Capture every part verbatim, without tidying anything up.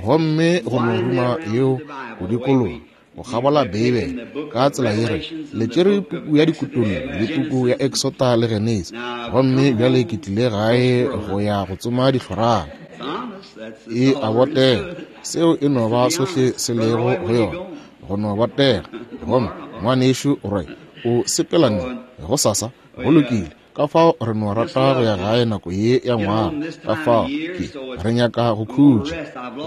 Gomme go no ruma yeo go dikologa go kgabola Beibele ka tsela ye re le tšere puku ya Dikutollo le puku ya Exota le Genesi, gomme bjale ke tlile gae go ya go tsoma dihlorana. E a botega, seo e no ba sohle se lego go yona, go no botega. Gomme ngwanešu Roy o sepela neng gosasa? Go lokile. Ka fao re no rata go ya gae nako ye ya ngwaga, ka fao ke re nyaka go khutša.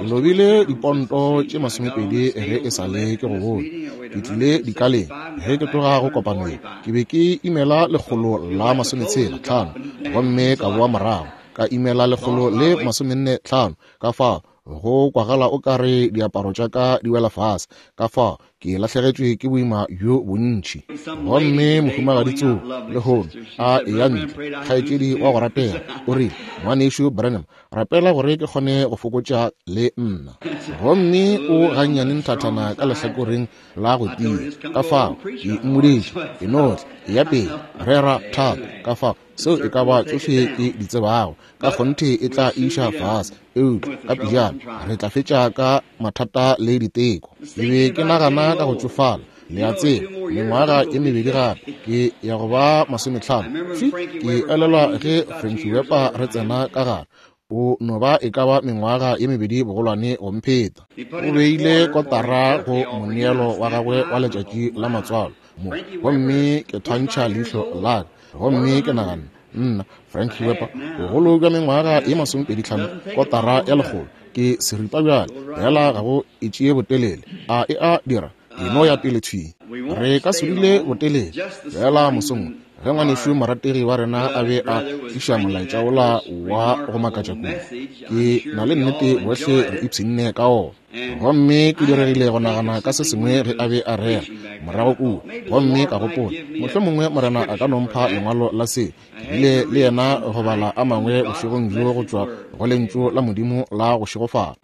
Ke lobile diponto tše masomepedi ge e sa le ke go bone. Ke tlile dikaleng ge ke tloga go kopanong, ke be ke imela lekgolo la masometshela tlhano, gomme ka boa morago ka imela lekgolo le masomenne tlhano. Ka fao go kwagala o ka re diaparo tša ka di wela fase, ka fao ke lahlegetšwe ke boima bjo bontši. Gomme mohumagadi Tso lehono a eya ntle, kgaetšedi wa go ratega, o rile, ngwanešu Branham, rapela gore ke kgone go fokotša le nna. Gomme o gannyane nthathana ka lehlakoreng la go tia, ka fao ke mmoditše, e no tla, eya pele, rera thata. Ka fao seo e ka ba tšohle ke di tsebago, ka kgonthe e tla iša fase, eupša ka pejana re tla fetša ka mathata le diteko. Ke be ke nagana ka go tšofala, le a tseba, mengwaga e mebedi gape ke ya go ba masometlhano. Ke elelwa ge Frankie Weber re tsena ka gare, o no ba e ka ba mengwaga ye mebedi bogolwane go mpheta. O beile kotara go moneelo wa gagwe wa letšatši la matswalo mo, gomme ke thwantšha leihlo la ka, gomme ke nagana, nna Frankie Weber, bogolo bja mengwaga ye masomepedi tlhano, kotara ya lekgolo, ke seripa bjale, fela ga go e tšee botelele. A e a dira? E no ya pele thwi. Re ka se dule botelele. Fela mosong ge ngwanešu morategi wa rena a be a tliša molaetša wola wa go makatša kudu, ke na le nnete bohle re ipshinne ka ona. Gomme ke diregile go nagana ka se sengwe ge a be a rera morago kua, gomme ka gopola mohlomongwe Morena a ka no mpha lengwalo la se. Ke bile le yena go bala a mangwe bošegong bjo go tšwa go lentšu la Modimo la go šegofala.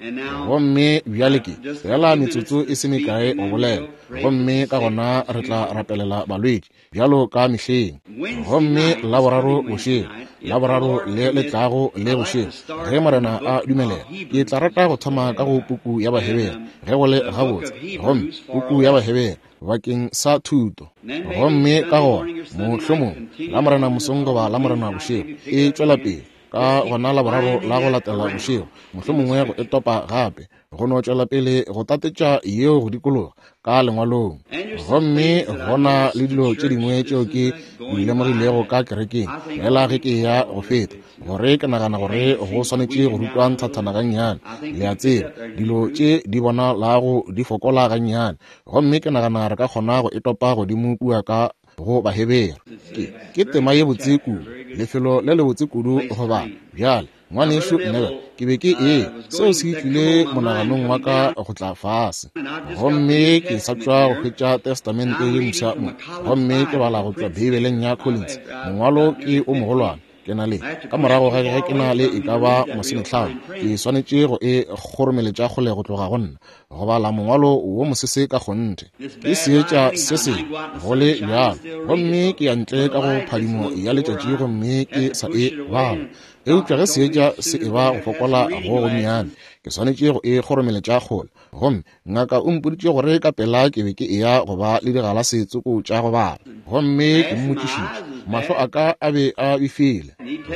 Gomme bjale ke fela metsotso e se mekae go bolela, gomme ka gona re tla rapelela balwetši bjalo ka mehleng. Gomme Laboraro bošego, Laboraro le le tlago le bošego, ge Morena a dumelela, ke tla rata go thoma ka go puku ya Bahebere ge go le gabotse, gomme puku ya Bahebere bakeng sa thuto. Gomme ka gona mohlomong la Morena mosong goba la Morena bošego e tšwela pele, ka gona Laboraro la go latela bošego mohlomongwe go e topa gape, go no tšwela pele go tatetša yeo go dikologa ka lengwalong. Gomme gona le dilo tše dingwe tšeo ke di lemogilego ka kerekeng fela ge ke ya go feta, gore ke nagana gore go swanetše go rutwa nthathana gannyane. Le a tseba, dilo tše di bonalago di fokola gannyane, gomme ke nagana re ka kgona go e topa godimo kua ka go Bahebere. Ke ke tema ye botse kudu, lefelo le le botse kudu go bala. Bjale ngwanešu Neville, ke be ke ee, seo se tlile monaganong wa ka go tla fase. Gomme ke sa tšwa go hwetša Testamente ye mpsha mo, gomme ke bala go tšwa Beibeleng ya Collins. Mongwalo ke o mogolwane, ke na le ka morago ga ge ke na le e ka ba masometlhano, ke swanetše go e kgoromeletša kgole go tloga go nna, go bala mongwalo wo mosese ka kgonthe. Ke seetša se sengwe go le bjalo, gomme ke ya ntle ka go phadimo ya letšatši gomme ke sa e bala. Eupša ge seetša se e ba go fokola go gonnyane, ke swanetše go e kgoromeletša kgole. Gomme ngaka o mpoditše gore ka pela ke be ke eya go ba le digalase tsoko tša go bala. Gomme ke mmotšišitše, mahlo a ka a be a befile,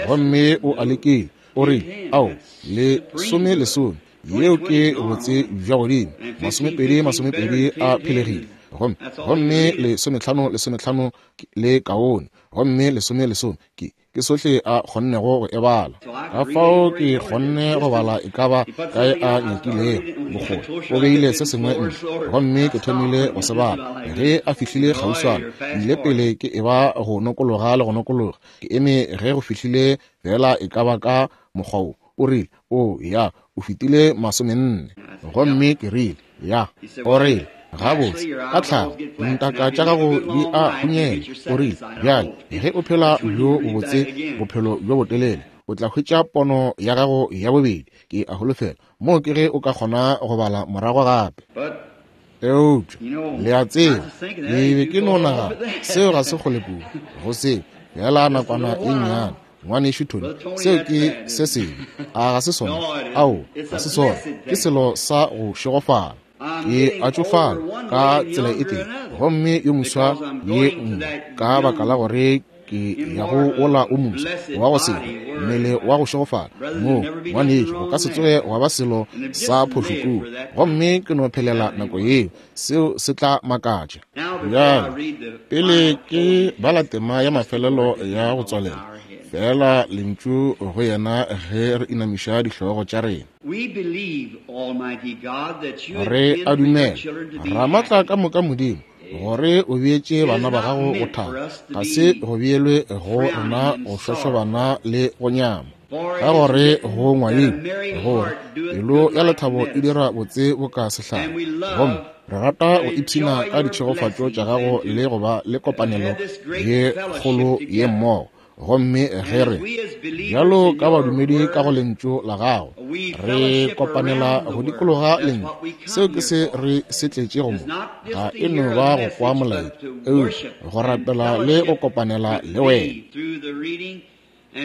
gomme o a lekile. O rile, ao, lesome lesome, yeo ke botse bja godimo, masomepedi masomepedi a phelegile, gomme gomme lesometlhano lesometlhano le kaone, gomme lesome lesome ke ke sohle a kgonnego go e bala. Ka fao ke kgonne go bala e ka ba kae a nyakilego bokgole. O beile se sengwe ntle, gomme ke thomile go se bala. Ge a fihlile kgauswana, ke ile pele ke e ba go nokologa le go nokologa. Ke eme ge go fihlile fela e ka ba ka mokgwa wo. O rile, o ya, o fetile masomenne. Gomme ke rile, ya. O rile, gabotse, ka tlhago ntaka tša gago di a hunyela. O rile, bjale ge o phela bjo bobotse bophelo bjo botelele, o tla hwetša pono ya gago ya bobedi. Ke a holofela moo ke ge o ka kgona go bala morago gape. Eupša le a tseba, ke be ke no nagana seo ga se kgole kudu go seo, fela nakwana e nnyane. Ngwanešu Tony, seo ke se sengwe. A ga se sona? Ao, ga se sona. Ke selo sa go šegofala. Ke a tšofala ka tsela e tee, gomme yo moswa ye nngwe, ka baka la gore ke ya go ola o moswa wa go sehwe, mmele wa go šegofala. Moo, ngwanešu, go ka se tsoge wa ba selo sa phošo kua, gomme ke no phelela nako yeo. Seo se tla makatša. Bjale, pele ke bala tema ya mafelelo ya go tswalela, fela lentšu go yena ge re inamiša dihlogo tša rena. Re a dumela, Ramatla ka moka Modimo, gore o beetše bana ba gago go thaba. Ga se go beelwe go rena go šošobana le go nyama, ka gore go ngwadilwe gore pelo ya lethabo e dira botse boka sehlare. Gomme re rata go ipshina ka ditšhegofatšo tša gago le go ba le kopanelo ye kgolo ye mmogo. Gomme ge re bjalo ka badumedi ka go lentšu la gago, re kopanela go dikologa lentšu. Seo ke se re se tletšego mo. Ga e no ba go kwa molaetša, eupša go rapela le go kopanela le wena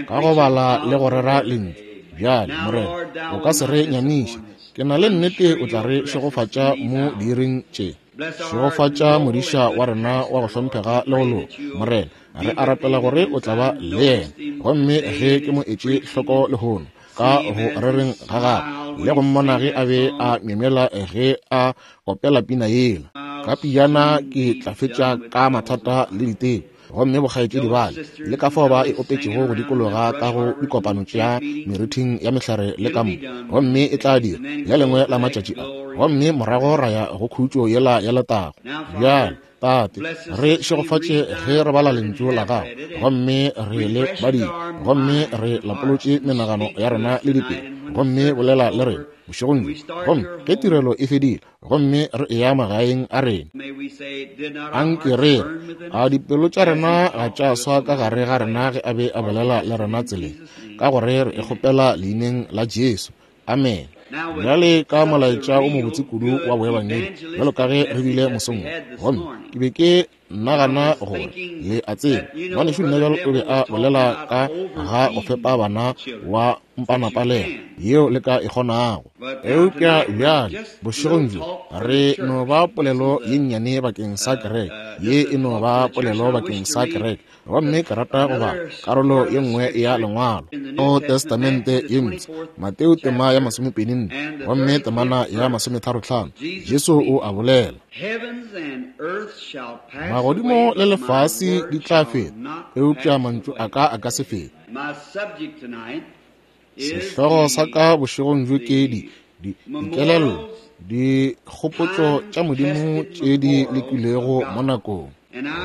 ka go bala le go rera lentšu. Bjale, Morena, o ka se re nyamiše. Ke na le nnete o tla re šegofatša mo diiring tše. Šegofatša modiša wa rena wa go hlomphega le go loka. Morena, re a rapela gore o tla ba le yena. Gomme ge ke mo etše hloko lehono ka go rereng ga gagwe, le go mmona ge a be a myemyela ge a opela pina yela, ka pijana ke tla fetša ka mathata le diteko. Gomme bokgaetšedi bale le ka fao ba e opetšego go dikologa ka go dikopano tša merithing ya mehlare le ka mo, gomme e tla dira le lengwe la matšatši a, gomme morago ra ya go khutšo yela ya letago. Bjale, Tate, re šegofatše ge re bala lentšu la gago, gomme re le badile, gomme re lapolotše menagano ya rena le dipelo, gomme bolela le rena bošegong bjo. Gomme ge tirelo e fedile, gomme re eya magaeng a rena, anke re re, a dipelo tša rena ga tša swa ka gare ga rena ge a be a bolela le rena tseleng, ka gore re e kgopela leineng la Jesu. Amen. Bjale ka molaetša o mobotse kudu wa boebangedi, bjalo ka ge re bile mosong wo, gomme ke be ke nagana gore le a tseba, ngwanešu Neville o be a bolela ka ga go fepa bana wa mpanapalega yeo le ka e kgonago. Eupša bjale bošegong bjo re no ba polelo ye nnyane bakeng sa kereke, ye e no ba polelo bakeng sa kereke. Gomme ke rata go bala karolo ye nngwe ya lengwalo o Testamente ye Mpsha, Mateo tema ya masomepedi nne, gomme temana ya masometharo-hlano. Jesu o a bolela, magodimo le lefase di tla feta, eupša mantšu a ka a ka se fete. Sehlogo sa ka bošegong bjo ke di di dikelello, dikgopotšo tša Modimo tše di lekilwego mo nakong.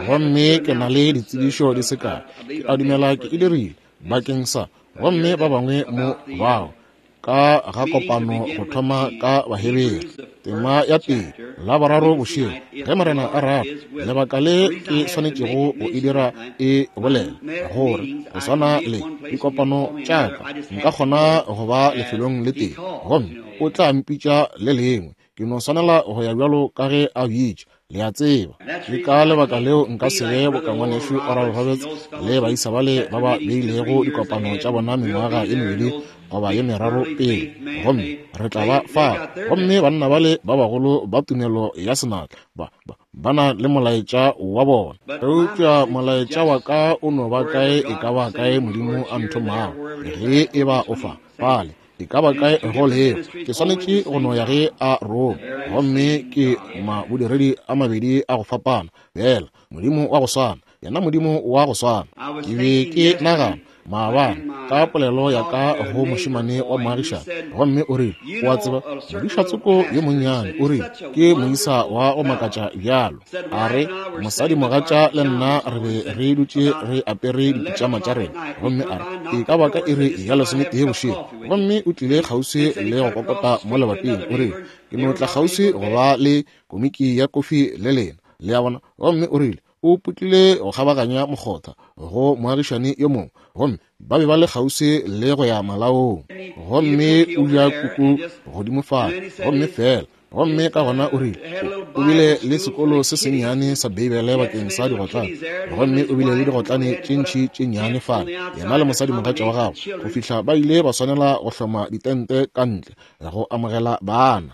Gomme ke na le ditsebišo di se kae, ke a dumela ke e dirile bakeng sa, gomme ba bangwe mo bao ka ga kopano go thoma ka Bahebere tema ya pele la boraro bošego, ge Morena a rata. Lebaka le ke swanetšego go e dira e bolela gore go swana le dikopano tša ka, nka kgona go ba lefelong le tee, gomme o tla mpitša le lengwe. Ke no swanela go ya bjalo ka ge a bitša, le a tseba. Ke ka lebaka leo nka se be boka ngwanešu Oral Roberts le baisa bale ba ba beilego dikopano tša bona mengwaga ye mebedi goba ye meraro pele, gomme re tla ba fa. Gomme banna bale ba bagolo ba tumelo ya senatla ba, ba, ba na le molaetša wa bona. Eupša molaetša wa ka o no ba kae e ka ba kae Modimo a nthomago, ge e ba o fa fale e ka ba kae go leo, ke swanetše go no ya ge a roma. Gomme ke mabodiredi a mabedi a go fapana, fela Modimo wa go swana, yena Modimo wa go swana. Ke be ke nagana maabane ka polelo ya ka go mošemane wa moagišane, gomme o rile, o a tseba, modišatsoko yo monnyane, o rile, ke moisa wa go makatša bjalo. A re, mosadimogatša le nna re be re dutše re apere dipitšama tša rena, gomme a re, e ka ba ka iri ya lesometee bošego, gomme o tlile kgauswi le go kokota mo lebating. O rile, ke no tla kgauswi go ba le komiki ya kofi le lena, le a bona. Gomme o rile, o putlile go kgabaganya mokgotha go moagišane yo mongwe, gomme ba be ba le kgauswi le go ya malaong, gomme o ja kuku godimo fale, gomme fela Gomme ka gona o rile o bile le sekolo se sennyane sa Beibele bakeng sa digotlane, gomme o bile le digotlane tše ntši tše nnyane fale, yena le mosadimogatša wa gagwe, go fihla ba ile ba swanela go hloma ditente ka ntle go amogela bana.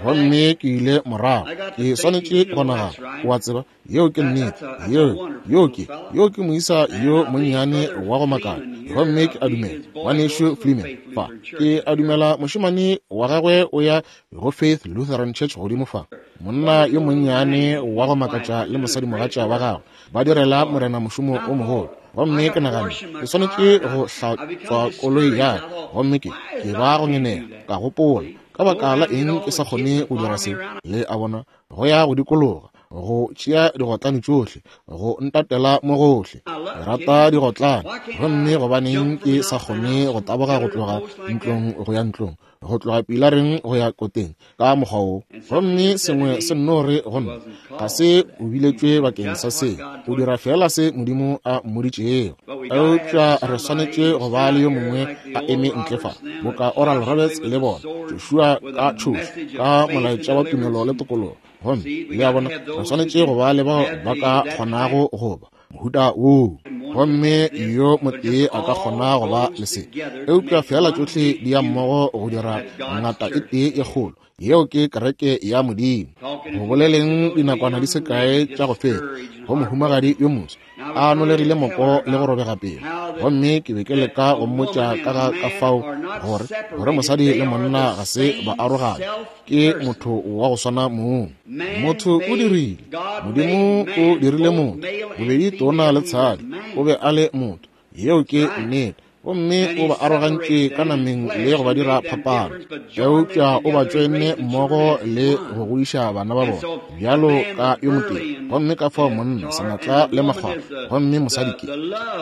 Gomme ke ile morago, ke swanetše go nagana, o a tseba, yeo ke nnete, yeo yo ke yo ke moisa yo monnyane wa go makala. Gomme ke a dumela ngwanešu Fleeman fa, ke a dumela mošemane wa gagwe o ya go Faith Lutheran Church godimo fa, monna yo monnyane wa go makatša le mosadimogatša wa gagwe ba direla Morena mošomo o mogolo. Gomme ke nagane ke swanetše go hlatswa koloi ya ka, gomme ke ke ba go ngenega, ka gopola ka baka la eng ke sa kgone go dira se. Le a bona, go ya go dikologa, go tšea digotlane tšohle, go ntatela mo gohle. Ke rata digotlane, gomme gobaneng ke sa kgone go taboga go tloga ntlong go ya ntlong, go tloga pilareng go ya koteng ka mokgwa wo? Gomme sengwe se nno re go nna, ga se o biletšwe bakeng sa se, o dira feela se Modimo a mmoditšego. Eupša re swanetše go ba le yo mongwe a eme ntle fa, boka Oral Roberts le bona, Joshua ka tšhošo, ka molaetša wa tumelo le tokologo. Gomme le a bona, re swanetše go ba le bao ba ka kgonago go ba mohuta woo, gomme yo motee a ka kgona go ba le se, eupša feela tšohle di ya mmogo go dira ngata e tee e kgolo. Yeo ke kereke ya Modimo. Go boleleng dinakwana di se kae tša go feta go mohumagadi yo moso a nolegile moko le go robega pelo, gomme ke be ke leka go mmotša ka ga ka fao gore gore mosadi le monna ga se ba arogane, ke motho wa go swana mong. Motho o dirile, Modimo o dirile motho, bobedi tona le tshadi, o be a le motho. Yeo ke nnete. Gomme o ba arogantše ka nameng le go ba dira phapano, eupša o ba tšoenne mmogo le go godiša bana ba bona bjalo ka yo motee. Gomme ka fao monna senatla le makgwakgwa, gomme mosadi ke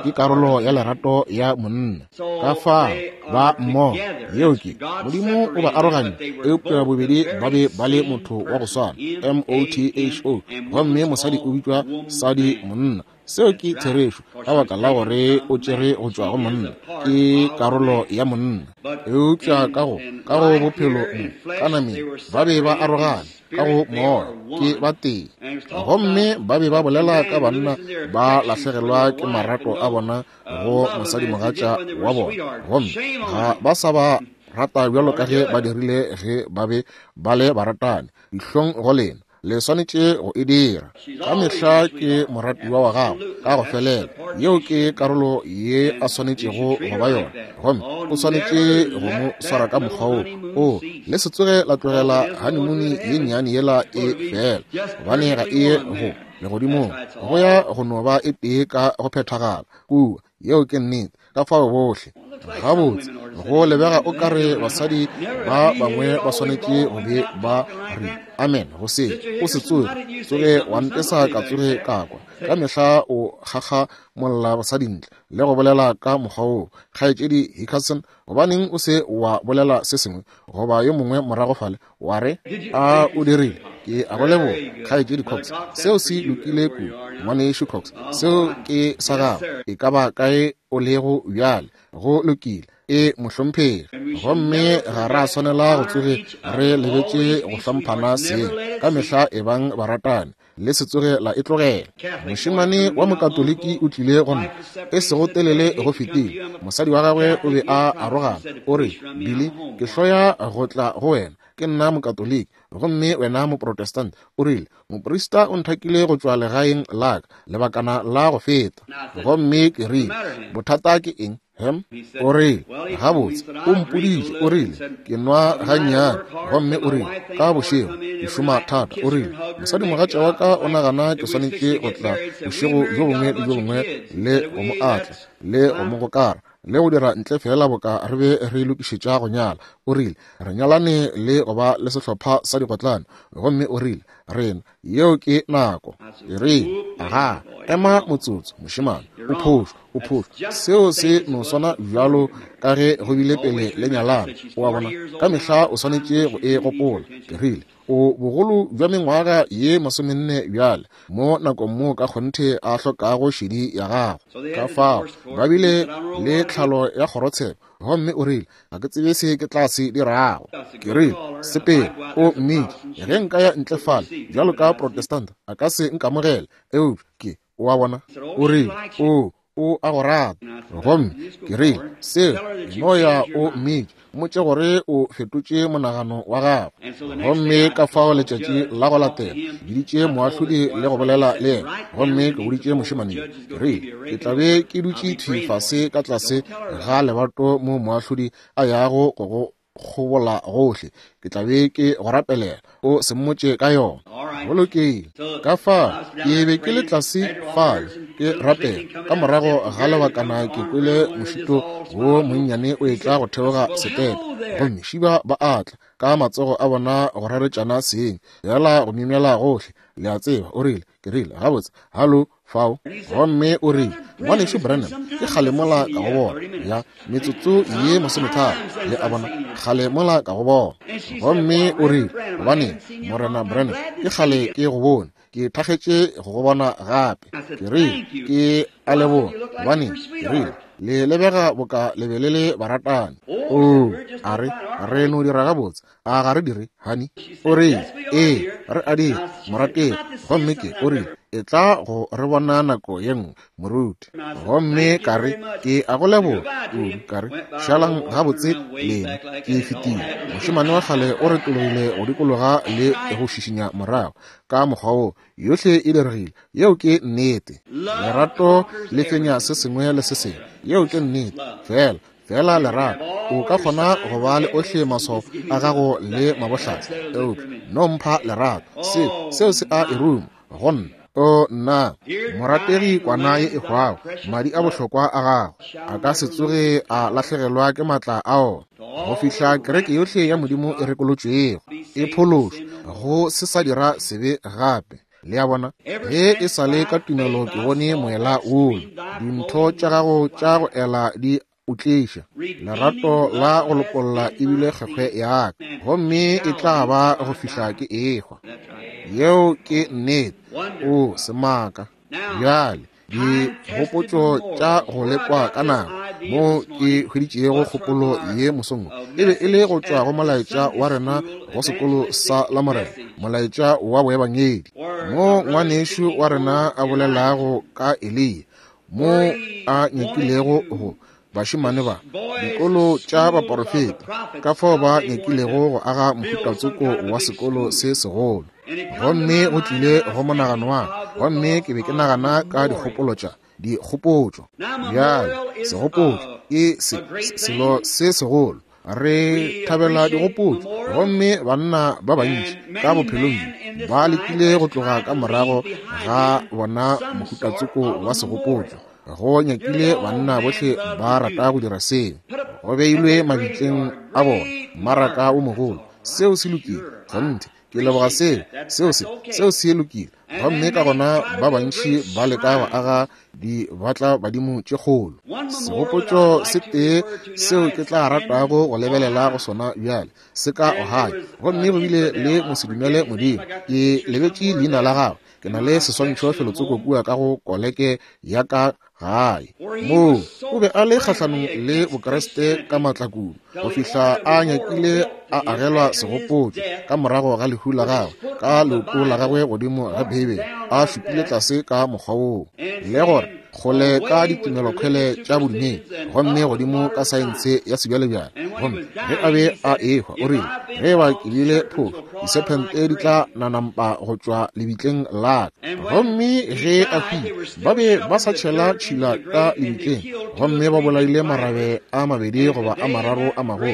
ke karolo ya lerato ya monna. Ka fao ba mmogo, yeo ke Modimo o ba arogantše, eupša bobedi ba be ba le motho wa go swana, M O T H O. Gomme mosadi o bitšwa sadi monna. Seo ke therešo, ka baka la gore o tšere go tšwa go monna, ke karolo ya monna. Eupša ka go ka go bophelo mo ka nameng ba be ba arogane, ka go moya ke ba tee. Gomme ba be ba bolela ka banna ba lahlegelwa ke marato a bona go mosadimogatša wa bona, gomme ga ba sa ba rata bjalo ka ge ba dirile ge ba be ba le baratani. Dihlong go lena, le swanetše go e dira. Ka mehla ke moratiwa wa gago ka go felela. Yeo ke karolo ye a swanetšego go ba yona, gomme o swanetše go mo swara ka mokgwa wo. O le se tsoge la tlogela honeymoon ye nnyane yela e fela, gobane ga e ye go legodimong, go ya go no ba e tee ka go phethagala kua. Yeo ke nnete. Ka fao bohle gabotse go lebega o kare basadi ba bangwe ba swanetše go be ba re amen go se o se tsoge tsoge wa ntesa ka tsoge ka kwa. Ka mehla o kgakga molla basadi ntle le go bolela ka mokgwa woo. Kgaetšedi Hickerson, gobaneng o se wa bolela se sengwe goba yo mongwe morago fale wa re a o dirile? Ke a go leboga, Kgaetšedi Cox. Seo se lokile kudu, ngwanešu Cox. Seo ke sa gago, e ka ba kae o lego bjale. Go lokile, e mohlomphegi. Gomme ga ra swanela go tsoge re lebetše go hlomphana seng. Ka mehla e bang baratani, le se tsoge la e tlogela. Mošemane wa mokatoliki o tlile go nna e sego telele go fetile. Mosadi wa gagwe o be a arogana. O re, Billy, ke hloya go tla go wena, ke nna mokatoliki gomme wena moprotestant. O rile, moprista o nthakile go tšwa legaeng la ka lebakana la go feta. Gomme ke rile, bothata ke eng? Hem? O rile, gabotse, o mpoditše. O rile, ke nwa gannyane. Gomme o rile, ka bošego ke šoma thata. O rile, mosadimogatša wa ka o nagana ke swanetše go tla bošego bjo bongwe le bjo bongwe le go mo atla le go mo gokara le go dira ntle fela boka re be re lokišetša go nyala. O rile, re nyalane le go ba le sehlopha sa digotlane. Gomme o rile, rena yeo ke nako. Ke rile, aga, ema motsotso, mošemane, o phošo, o phošo. Seo se no swana bjalo ka ge go bile pele le nyalana. O a bona, ka mehla o swanetše go e gopola. Ke rile, O bogolo bja mengwaga ye masomenne bjale, mo nakong mo ka kgonthe a hlokago šedi ya gago. Ka fao ba bile le tlhalo ya kgorotsheko, gomme o rile, ga ke tsebe se ke tla se dirago. Ke rile, sepele o mmitše, ge nka ya ntle fale bjalo ka Protestanta a ka se nkamogele, eupša ke o a bona. O rile, o o a go rata. Gomme ke rile, seo no ya o mmitše, mmotše gore o fetotše monagano wa gago. Gomme ka fao letšatši la go latela biditše moahlodi le go bolela le yena, gomme ke boditše mošemane, ke rile, ke tla be ke dutše thwi fase ka tlase ga lebato mo moahlodi a yago go go kgobola gohle, ke tla be ke go rapelela, o se mmotše ka yona. Go lokile. Ka fa ke be ke le tlase fale ke rapela. Ka morago ga lebakana ke kwele mošito wo monnyane o etla go theoga setepe, gomme šiba ba atla ka matsogo a bona go raretšana seng, yala go myemyela gohle, le a tseba. O rile, ke rile, gabotse, hallo fao. Gomme o rile, ngwanešu Branham, ke kgale mola ka go bona, ya metsotso ye masometharo, le a bona, kgale mola ka go bona. Gomme o rile, gobane Morena Branham, ke kgale ke go bone, ke thakgetše go go bona gape. Ke rile, ke a leboga, gobane ke rile, le lebega boka le be le le baratani. O a re, re no dira gabotse, a ga re dire, honey? O rile, ee, re a dira, morategi. Gomme ke o rile, e tla go re bona nako ye nngwe, moruti. Gomme ka re, ke a go leboga kudu. Ka re, šalang gabotse lena, ke fetile. Mošemane wa kgale o retologile go dikologa le go šišinya morago ka mokgwa wo, yohle e diregile. Yeo ke nnete. Lerato le fenya se sengwe le se sengwe. Yeo ke nnete. Fela fela lerato, o ka kgona go ba le ohle maswao a gago le mabohlatse, eupša no mpha lerato, seo seo se a e ruma go nna. O nna, morategi kwana ye e hwago, madi a bohlokwa a gago a ka se tsoge a lahlegelwa ke maatla a ona, go fihla kereke yohle ya Modimo e rekolotšwego, e phološwa, go se sa dira sebe gape. Le a bona, ge e sa le ka tumelo ke bone moela wola, dintho tša gago tša go ela di o tliša lerato la go lokolla ebile kgekgwe ya ka, gomme e tla ba go fihla ke ehwa. Yeo ke nnete. O semaka. Bjale dikgopotšo tša go lekwa ka nako mo ke hweditšego kgopolo ye mosong e be e le go tšwa go molaetša wa rena go sekolo sa Lamorena, molaetša wa boebangedi, mo ngwanešu wa rena a bolelago ka Eliya, mo a nyakilego go bašemane ba dikolo tša baporofeta, ka fao ba nyakilego go aga mohutatsoko wa sekolo se segolo. Gomme go tlile go monagano wa ka, gomme ke be ke nagana ka dikgopolo tša dikgopotšo. Bjale segopotšo ke se, selo se segolo. Re thabela digopotšo, gomme banna ba bantši ka bophelong ba lekile go tloga ka morago ga bona mohutatsoko wa segopotšo. Go nyakile banna bohle ba rata go dira seo. Go beilwe mabitleng a bona mmaraka o mogolo. Seo se lokile, kgonthe. Ke leboga seo, seo se, seo se lokile. Gomme ka gona ba bantši ba leka go aga di batla badimo tše kgolo. Segopotšo se tee seo ke tla ratago go lebelela go sona bjale se ka Ohio, gomme go bile le mosedumele Modimo. Ke lebetše leina la gagwe. Ke na le seswantšho felotsoko kua ka go koleke ya ka gae. Moo o be a le kgahlanong le Bokreste ka maatla kudu, go fihla a nyakile a agelwa segopotšo ka morago ga lehu la gagwe, ka leoto la gagwe godimo ga Beibele, a šupile tlase ka mokgwa woo, le gore kgole ka ditumelokhwele tša bodumedi, gomme godimo ka saense ya sebjalebjale. Gomme ge a be a ehwa, o rile, ge ba ke bile phošo, disephente di tla nanampa go tšwa lebitleng la ka. Gomme ge a hwile, ba be ba sa tšhela tšhila ka lebitleng, gomme ba bolaile marabe a mabedi goba a mararo a magolo.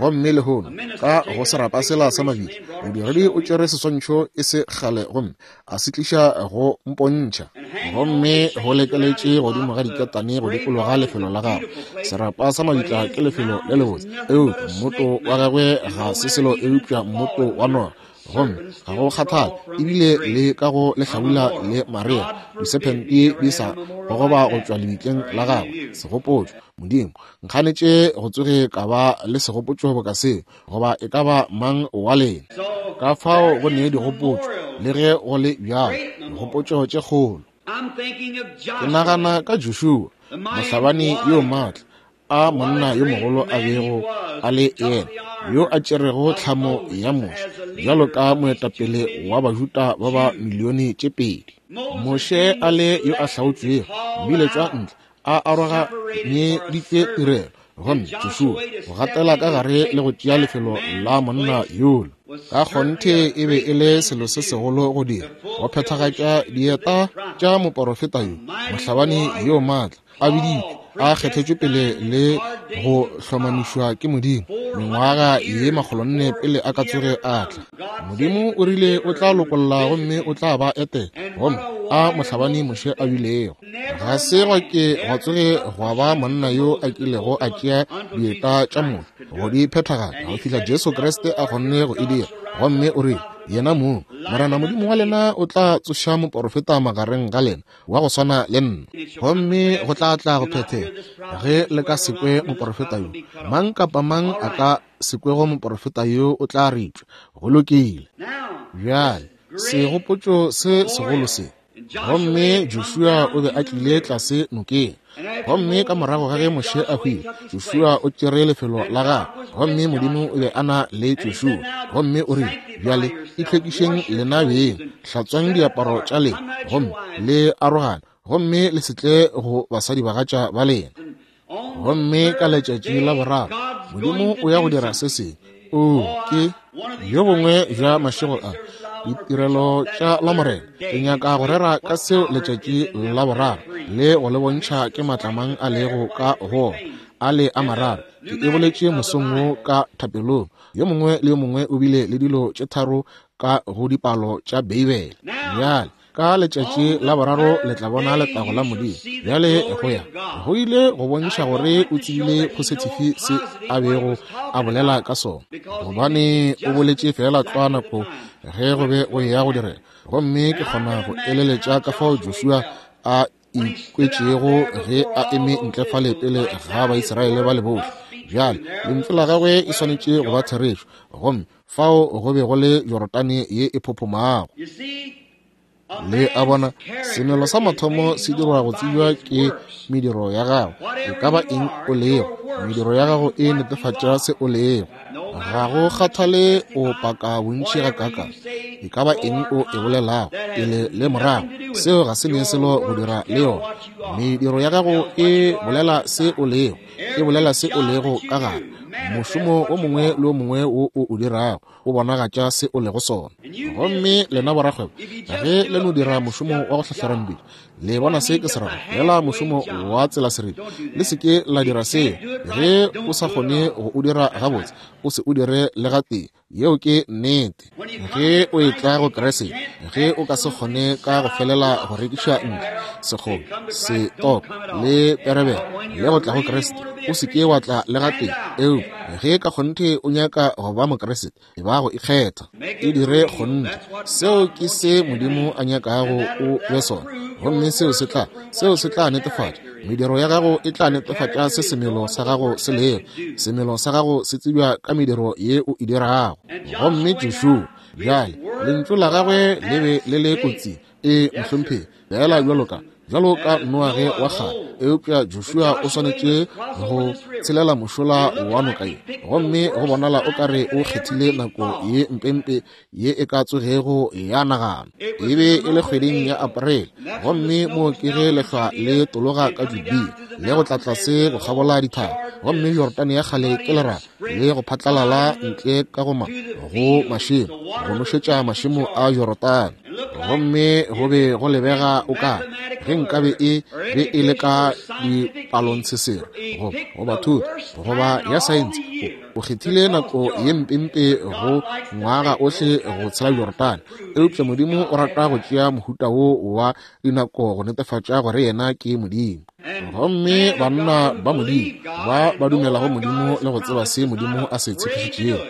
Gomme lehono ka go serapa sela sa mabitla, modiredi o tšere seswantšho e se kgale gomme a se tliša go mpontšha, gomme go lekeletše godimo ga diketane go dikologa lefelo la gagwe. Serapa sa mabitla ke lefelo le lebotse, eupša mmoto wa gagwe ga se selo eupša mmoto wa noga. Gomme ga go kgathale ebile le ka go lehlabula le marea, disephente di sa gogoba go tšwa lebitleng la gagwe. Segopotšo, Modimo nkganetše go tsoge ka ba le segopotšo boka seo, goba e ka ba mang wa lena. Ka fao go ne digopotšo, le ge go le bjalo, digopotšo tše kgolo. Ke nagana ka Joshua, mohlabani yo maatla, a monna yo mogolo a bego a le yena, yo a tšerego tlhamo ya Moshe bjalo ka moetapele wa Bajuda ba ba milione tše pedi. Moshe a le yo a hlaotšwego, mmiletšwa ntle, a aroganyeditšwe tirelo, gomme Joshua go gatela ka gare le go tšea lefelo la monna yola. Ka kgonthe e be e le selo se segolo go dira, go phethagatša dieta tša moporofeta yo, mohlabani yo maatla, a biditšwe, a kgethetšwe pele le go hlomamišwa ke Modimo mengwaga ye makgolonne pele a ka tsoge a tla. Modimo o rile o tla lokolla gomme o tla ba etela, gomme a mohlabani Moshe a bilego. Ga se gwa ke gwa tsoge gwa ba monna yo a kilego a tšea dieta tša Moshe go di phethagatša go fihla Jesu Kriste a kgonne go e dira. Gomme o rile yena mong, Morena Modimo wa lena o tla tsoša moporofeta magareng ga lena wa go swana le nna, gomme go tla tla go phethega ge le ka se kwe moporofeta yo. Mang kapa mang a ka se kwego moporofeta yo o tla ritšwa. Go lokile. Bjale segopotšo se segolo se. Gomme Joshua o be a tlile tlase nokeng, gomme ka morago ga ge Moshe a hwile, Joshua o tšere lefelo la gagwe, gomme Modimo o be a na le Joshua. Gomme o rile, bjale itlhwekišeng lena beng, hlatswang diaparo tša lena, gomme le arogane, gomme le se tle go basadibagatša ba lena. Gomme ka letšatši la boraro Modimo o ya go dira se sengwe. O ke bjo bongwe bja mašego a ditirelo tša Lamorena. Ke nyaka go rera ka seo letšatši la boraro, le go le bontšha ke matlamang a lego ka go a le a mararo. Ke e boletše mosong wo ka thapelong. Yo mongwe le yo mongwe o bile le dilo tše tharo ka go dipalo tša Beibele. Bjale ka letšatši la boraro le tla bona letago la Modimo. Bjale go ya go ile go bontšha gore o tsebile positive se a bego a bolela ka sona, gobane o boletše fela tlwa nako ge go be go ya go direga. Gomme ke kgona go eleletša ka fao Joshua a ikwetšego ge a eme ntle fale pele ga Baisraele ba le bohle. Bjale lentšu la gagwe e swanetše go ba therešo, gomme fao go be go le Jorodane ye e phophomago. Le a bona, semelo sa mathomo se dirwa go tsebja ke mediro ya gago. E ka ba eng o lego, mediro ya gago e netefatša se o lego. Ga go kgathale o paka bontši gakaakang, e ka ba eng o e bolelago pele le morago, seo ga se ne selo go dira le yona. Mediro ya gago e bolela se o lego, e bolela se o lego ka gare. Mošomo o mongwe le o mongwe wo o o dirago o bonagatša se o lego sona. Gomme lena borakgwebo, ge le no dira mošomo wa go hlahlera mebele, le bona se ke se rago, fela mošomo wa tsela seripe, le se ke la dira seo. Ge o sa kgone go o dira gabotse, o se o dire le gatee. Yeo ke nnete. Ge o etla go Kriste, ge o ka se kgone ka go felela go rekiša ntlo, sekgomo, setoko le perebele le go tla go Kriste, o se ke wa tla le gatee. Eupša ge ka kgonthe o nyaka go ba Mokriste, e ba go ikgetha, e dire kgonthe. Seo ke se Modimo a nyakago o be sona, gomme seo se tla, seo se tla netefatša. Mediro ya gago e tla netefatša se semelo sa gago se lego. Semelo sa gago se tsebja ka mediro ye o e dirago. Gomme Joshua, bjale lentšu la gagwe le be le le kotsing, e mohlomphegi, fela bjalo ka bjalo ka Noage wa kgale. Eupša Joshua o swanetše go tshelela mošola wa noka ye, gomme go bonala o kare o kgethile nako ye mpempe ye e ka tsogego ya nagana. E be e le kgweding ya Aprele, gomme mo ke ge lehlwa le tologa ka Judea le go tla tlase go kgabola dithaba, gomme Jorodane ya kgale ke leraba le go phatlalala ntle ka go ma go mašemo go nošetša mašemo a Jorodane. Gomme go be go lebega o ka ge nkabe e be e le ka dipalontshesere goba goba thuto goba ya saense, o kgethile nako ye mpempe go ngwaga ohle go tshela Jorodane. Eupša Modimo o rata go tšea mohuta wo wa dinako go netefatša gore yena ke Modimo. Gomme banna ba Modimo ba ba dumelago Modimo le go tseba se Modimo a se tshepišitšego,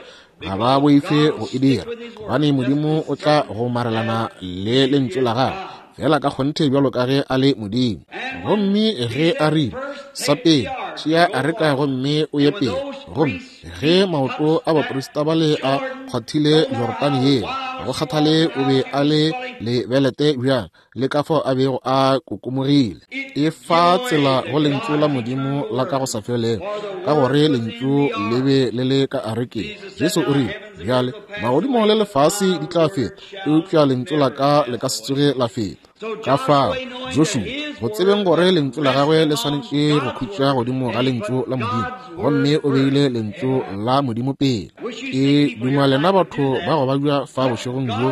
Ga ba boife go e dira, gobane Modimo o tla gomarelana le lentšu la gagwe fela ka kgonthe bjalo ka ge a le Modimo. Gomme ge a rile, sa pele, tšea areka gomme o ye pele. Gomme ge maoto a baprista bale a kgwathile Jorodane yela, go kgathale o be a le lebelete bjang le ka fao a bego a kokomogile. E fa tsela go lentšu la Modimo la ka go sa felego, ka gore lentšu le be le le ka arekeng. Jesu o rile, bjale magodimo le lefase di tla feta, eupša lentšu la ka le ka se tsoge la feta. Ka fao Joshua, go tsebeng gore lentšu la gagwe le swanetše go khutša godimo ga lentšu la Modimo, gomme o beile lentšu la Modimo pele. Ke duma lena batho ba go babja fa bošegong bjo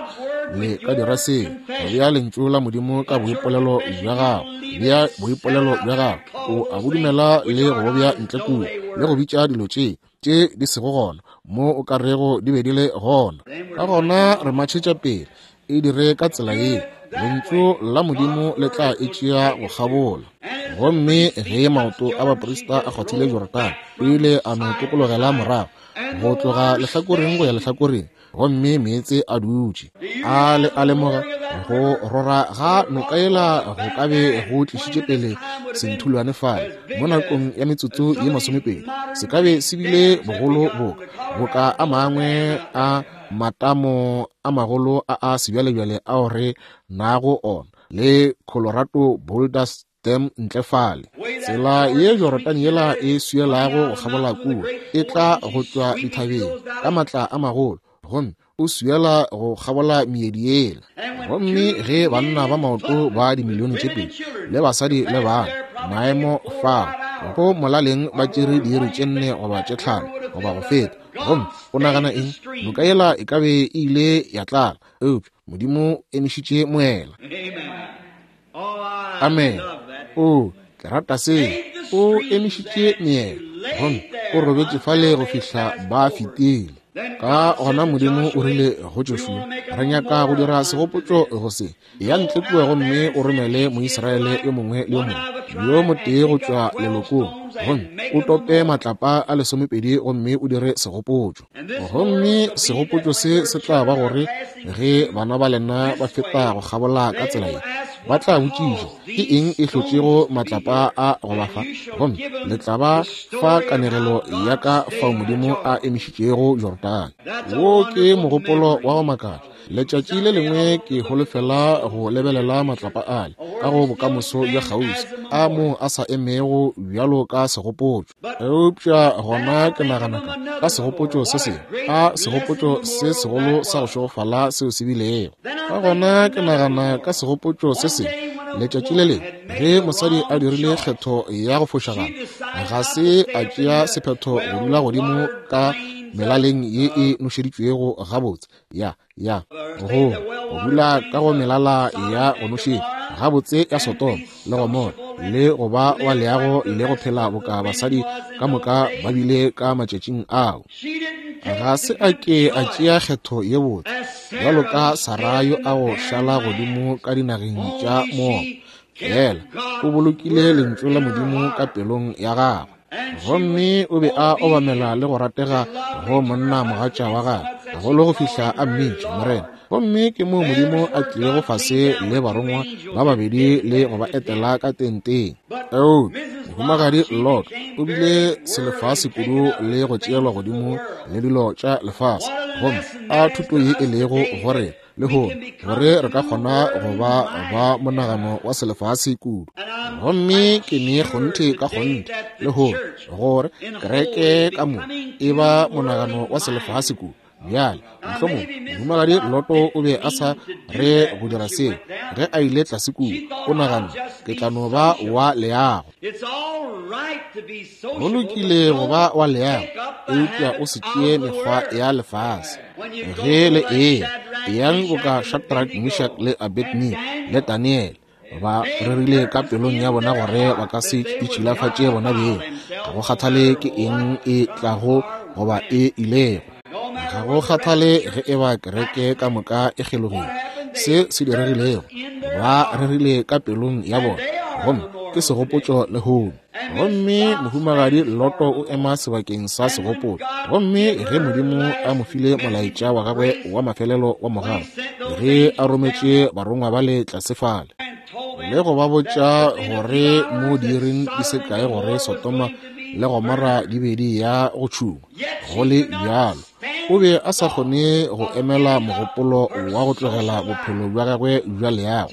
le ka dira seo, go bea lentšu la Modimo ka boipolelo bja gago. Bea boipolelo bja gago, o a bo dumela le go bja ntle kua, le go bitša dilo tše tše di sego gona mo o ka rego di be di le gona. Ka gona re matšhetša pele, e dire ka tsela ye, lentšu la Modimo le tla e tšea go kgabola. Gomme ge maoto a baprista a kgwathile Jorodane, o ile a no tokologela morago go tloga lehlakoreng go ya lehlakoreng, gomme meetse a dutše. A le a lemoga go rora ga noka yela go ka be go tlišitše pele senthulwane fale mo nakong ya metsotso ye masomepedi, se ka be se bile bogolo boka boka a mangwe a matamo a magolo a a sebjalebjale ao re nago ona le Colorado Boulders Dam ntle fale. Tsela ye Jorodane yela e swielago go kgabola kua, e tla go tšwa dithabeng ka matla a magolo, gomme o swiela go kgabola meedi yela. Gomme ge banna ba maoto ba dimilione tše pedi le basadi le bana maemo fao go molaleng ba tšere diiri tše nne goba tše tlhano goba go feta, gomme o nagana eng? Noka yela e ka be e ile ya tlala, eupša Modimo o emišitše moela. Amen. O, ke rata seo. O emišitše meela, gomme o robetše fale go fihla ba fetile. Ka gona Modimo o rile go Joshua, re nyaka go dira segopotšo go se. Ya ntle kua gomme o romele Moisraele yo mongwe le yo mongwe yo motee go tšwa lelokong, gomme o tope matlapa a lesomepedi gomme o dire segopotšo. Gomme segopotšo se se tla ba gore ge bana ba lena ba feta go kgabola ka tsela ye, ba tla botšiša ke eng e hlotšego matlapa a go ba fa, gomme le tla ba fa kanegelo ya ka fao Modimo a emišitšego Jorodane. Wo ke mogopolo wa go makatša. Letšatši le lengwe ke holofela go lebelela matlapa ale ka go bokamoso bja kgauswi, a mo a sa emego bjalo ka segopotšo. Eupša gona ke nagana ka ka segopotšo se sengwe, ka segopotšo se segolo sa go šegofala seo se bilego. Ka gona ke nagana ka segopotšo se sengwe. Letšatši le lengwe ge mosadi a dirile kgetho ya go fošagala, ga se a tšea sephetho go dula godimo ka melaleng ye e nošeditšwego gabotse, ya ya go go dula ka go melala ya go nošetša gabotse ya Sodoma le Gomora, le go ba wa leago le go phela boka basadi ka moka ba bile ka matšatšing ao. Ga se a ke a tšea kgetho ye botse bjalo ka Sara yo a go šala godimo ka dinageng tša Moaba, fela o bolokile lentšu la Modimo ka pelong ya gagwe. Gomme o be a obamela le go ratega go monna mogatša wa gagwe gagolo go fihla a mmitša Morena. Gomme ke moo Modimo a tlilego fase le barongwa ba babedi le go ba etela ka tenteng. Eupša mohumagadi Lot o bile selefase kudu le go tšeelwa godimo le dilo tša lefase, gomme a thuto ye e lego gore lehono gore re ka kgona go ba ba monagano wa selefase kudu. Gomme ke ne kgonthe ka kgonthe lehono gore kereke ka mo e ba monagano wa selefase kudu. Bjale mohlomongwe mohumagadi Loto o be a sa re go dira seo ge a ile tlase kua, o nagana ke tla no ba wa leago. Go lokile go ba wa leago, eupša o se tšee mekgwa ya lefase. Ge le eya, eyang boka Shadrach, Meshach le Abednego le Daniel ba rerile ka pelong ya bona gore ba ka se itšhilafatše bona beng, ga go kgathale ke eng e tlago goba e ilego. Ga go kgathale ge e ba kereke ka moka e kgelogile, se se diregilego ba rerile ka pelong ya bona, gomme ke segopotšo lehono. Gomme mohumagadi Loto o ema sebakeng sa segopotšo. Gomme ge Modimo a mo file molaetša wa gagwe wa mafelelo wa mogau, ge a rometše barongwa bale tlase fale le go ba botša gore mo diiring di se kae gore Sodoma le Gomora di be di ya go tšhungwa, go le bjalo o be a sa kgone go emela mogopolo wa go tlogela bophelo bja gagwe bja leago,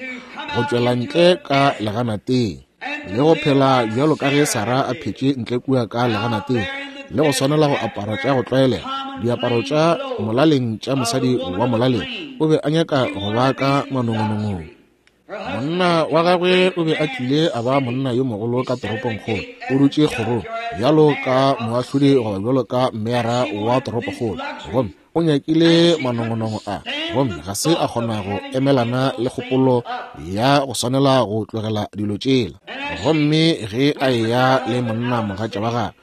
go tšwela ntle ka leganateng le go phela bjalo ka ge Sara a phetše ntle kua ka leganateng, le go swanela go apara tša go tlwaelega, diaparo tša molaleng tša mosadi wa molaleng. O be a nyaka go ba ka manongonongong. Monna wa gagwe o be a tlile a ba monna yo mogolo ka toropongkgolo, o dutše kgorong bjalo ka moahlodi goba bjalo ka meyara wa toropokgolo, gomme o nyakile manongonongo a, gomme ga se a kgona go emelana le kgopolo ya go swanela go tlogela dilo tšela. Gomme ge a eya le monna mogatša wa gagwe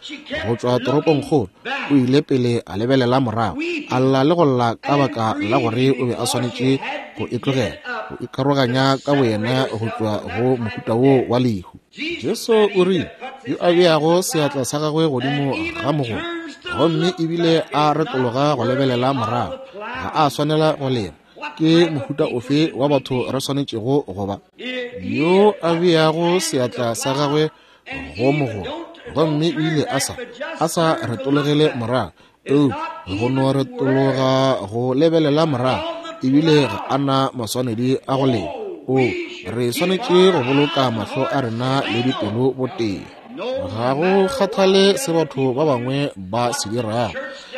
go tšwa toropongkgolo, o ile pele a lebelela morago, a lla le go lla ka baka la gore o be a swanetše go e tlogela, go ikaroganya ka boyena go tšwa go mohuta wo wa lehu. Jesu o rile, yo a beago seatla sa gagwe godimo ga mogolo, gomme ebile a retologa go lebelela morago, ga a swanela go lema. Ke mohuta ofe wa batho re swanetšego go ba? Yo a beago seatla sa gagwe go mogolo, gomme o ile a sa a sa retologele morago, eupša go no retologa go lebelela morago, ebile ga a na maswanedi a go lema. O, re swanetše go boloka mahlo a rena le dipelo botee. Ga go kgathale se batho ba bangwe ba se dirago,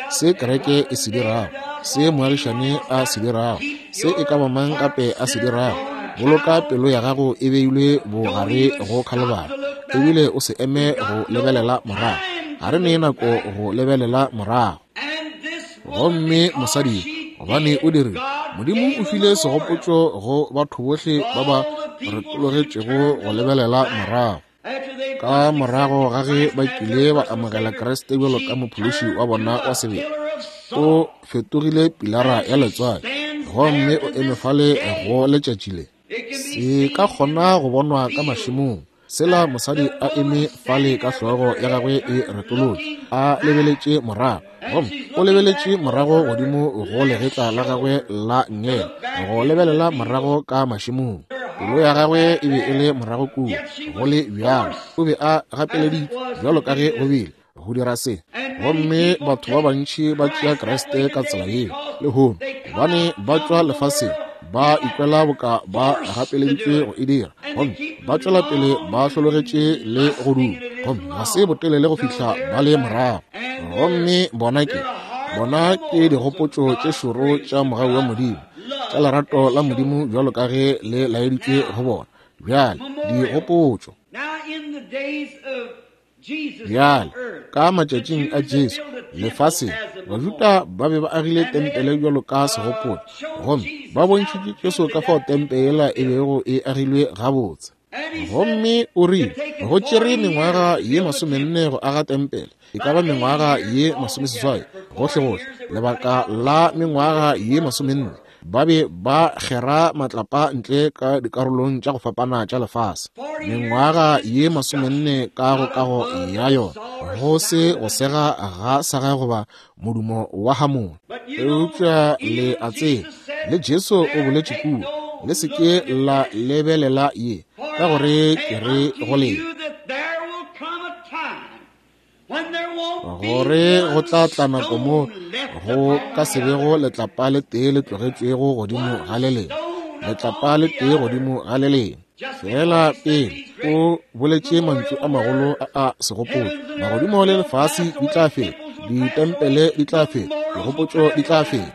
se kereke e se dirago, se moagišane a se dirago, se e ka ba mang gape a se dirago, boloka pelo ya gago e beilwe bogare go Khalibari, ebile o se eme go lebelela morago. Ga re ne nako go lebelela morago. Gomme mosadi, gobane o dirile, Modimo o file segopotšo go batho bohle ba ba retologetšego go lebelela morago. Ka morago ga ge ba kile ba amogela Kriste bjalo ka mophološi wa bona wa sebele, o fetogile pilara ya letswai, gomme o eme fale go letšatši le. Se ka kgona go bonwa ka mašemong, sela mosadi a eme fale ka hlogo ya gagwe e retolotše, a lebeletše morago, gomme o lebeletše morago godimo go legetla la gagwe la nngele, go lebelela morago ka mašemong. Pelo ya gagwe e be e le morago kua, go le bjalo o be a gapeleditšwe bjalo ka ge go bile go dira se. Gomme batho ba bantši ba tšea Kriste ka tsela yeo lehono, gobane ba tšwa lefaseng, ba ikwela boka ba gapeleditšwe go e dira, gomme ba tšwela pele ba hlologetše le go duma, gomme ga se botelele go fihla ba le morago. Gomme bona ke bona ke digopotšo tše šoro tša mogau wa Modimo, tša lerato la Modimo bjalo ka ge le laeditšwe go bona. Bjale digopotšo. Bjale ka matšatšing a Jesu lefaseng, Bajuda ba be ba agile tempele bjalo ka segopotšo, gomme ba bontšhitše Jesu ka fao tempele e bego e agilwe gabotse. Gomme o rile go tšere mengwaga ye masomenne go aga tempele, e ka ba mengwaga ye masomeseswai gohlegohle, lebaka la mengwaga ye masomenne ba be ba kgera matlapa ntle ka dikarolong tša go fapana tša lefase. Mengwaga ye masomenne ka go kago ya yona, go se go sega ga saga goba modumo wa hamone. Eupša le a tseba, le Jesu o boletše kua, le se ke la lebelela ye, ka gore ke re go lena gore go tla tla nako mo go ka se bego letlapa le tee le tlogetšwego godimo ga le lengwe, letlapa le tee godimo ga le lengwe. Fela pele o boletše mantšu a magolo a a segopotšo, magodimo le lefase di tla feta, ditempele di tla feta, digopotšo di tla feta,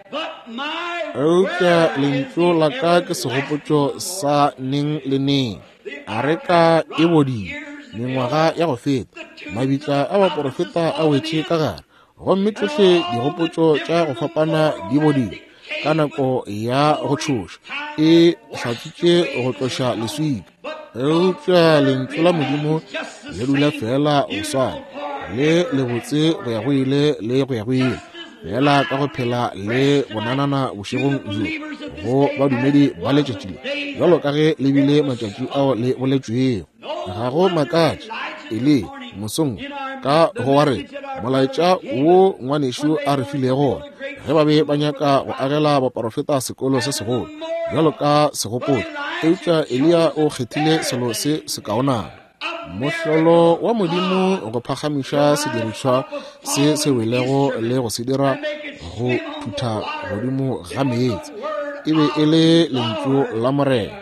eupša lentšu la ka ke segopotšo sa neng le neng. Areka e bodile mengwaga ya go feta, mabitla a baporofeta a wetše ka gare, gomme tšohle digopotšo tša go fapana di bodile ka nako ya go tšhoša, e hlatswitše go tloša leswika. Eupša lentšu la Modimo le dula fela go swana, le lebotse go ya go ile le go ya go ile, fela ka go phela le bonanana bošegong bjo go badumedi ba letšatši le, bjalo ka ge le bile matšatši ao le boletšwego. Ga go makatše Eliya mosong ka go wa re molaetša wo ngwanešu a re filego wona, ge ba be ba nyaka go agela baporofeta sekolo se segolo bjalo ka segopotšo, eupša Eliya o kgethile selo se sekaonana. Mohlolo wa Modimo go phagamiša sedirišwa se se welego le go se dira go thutha godimo ga meetse e be e le lentšu la Morena.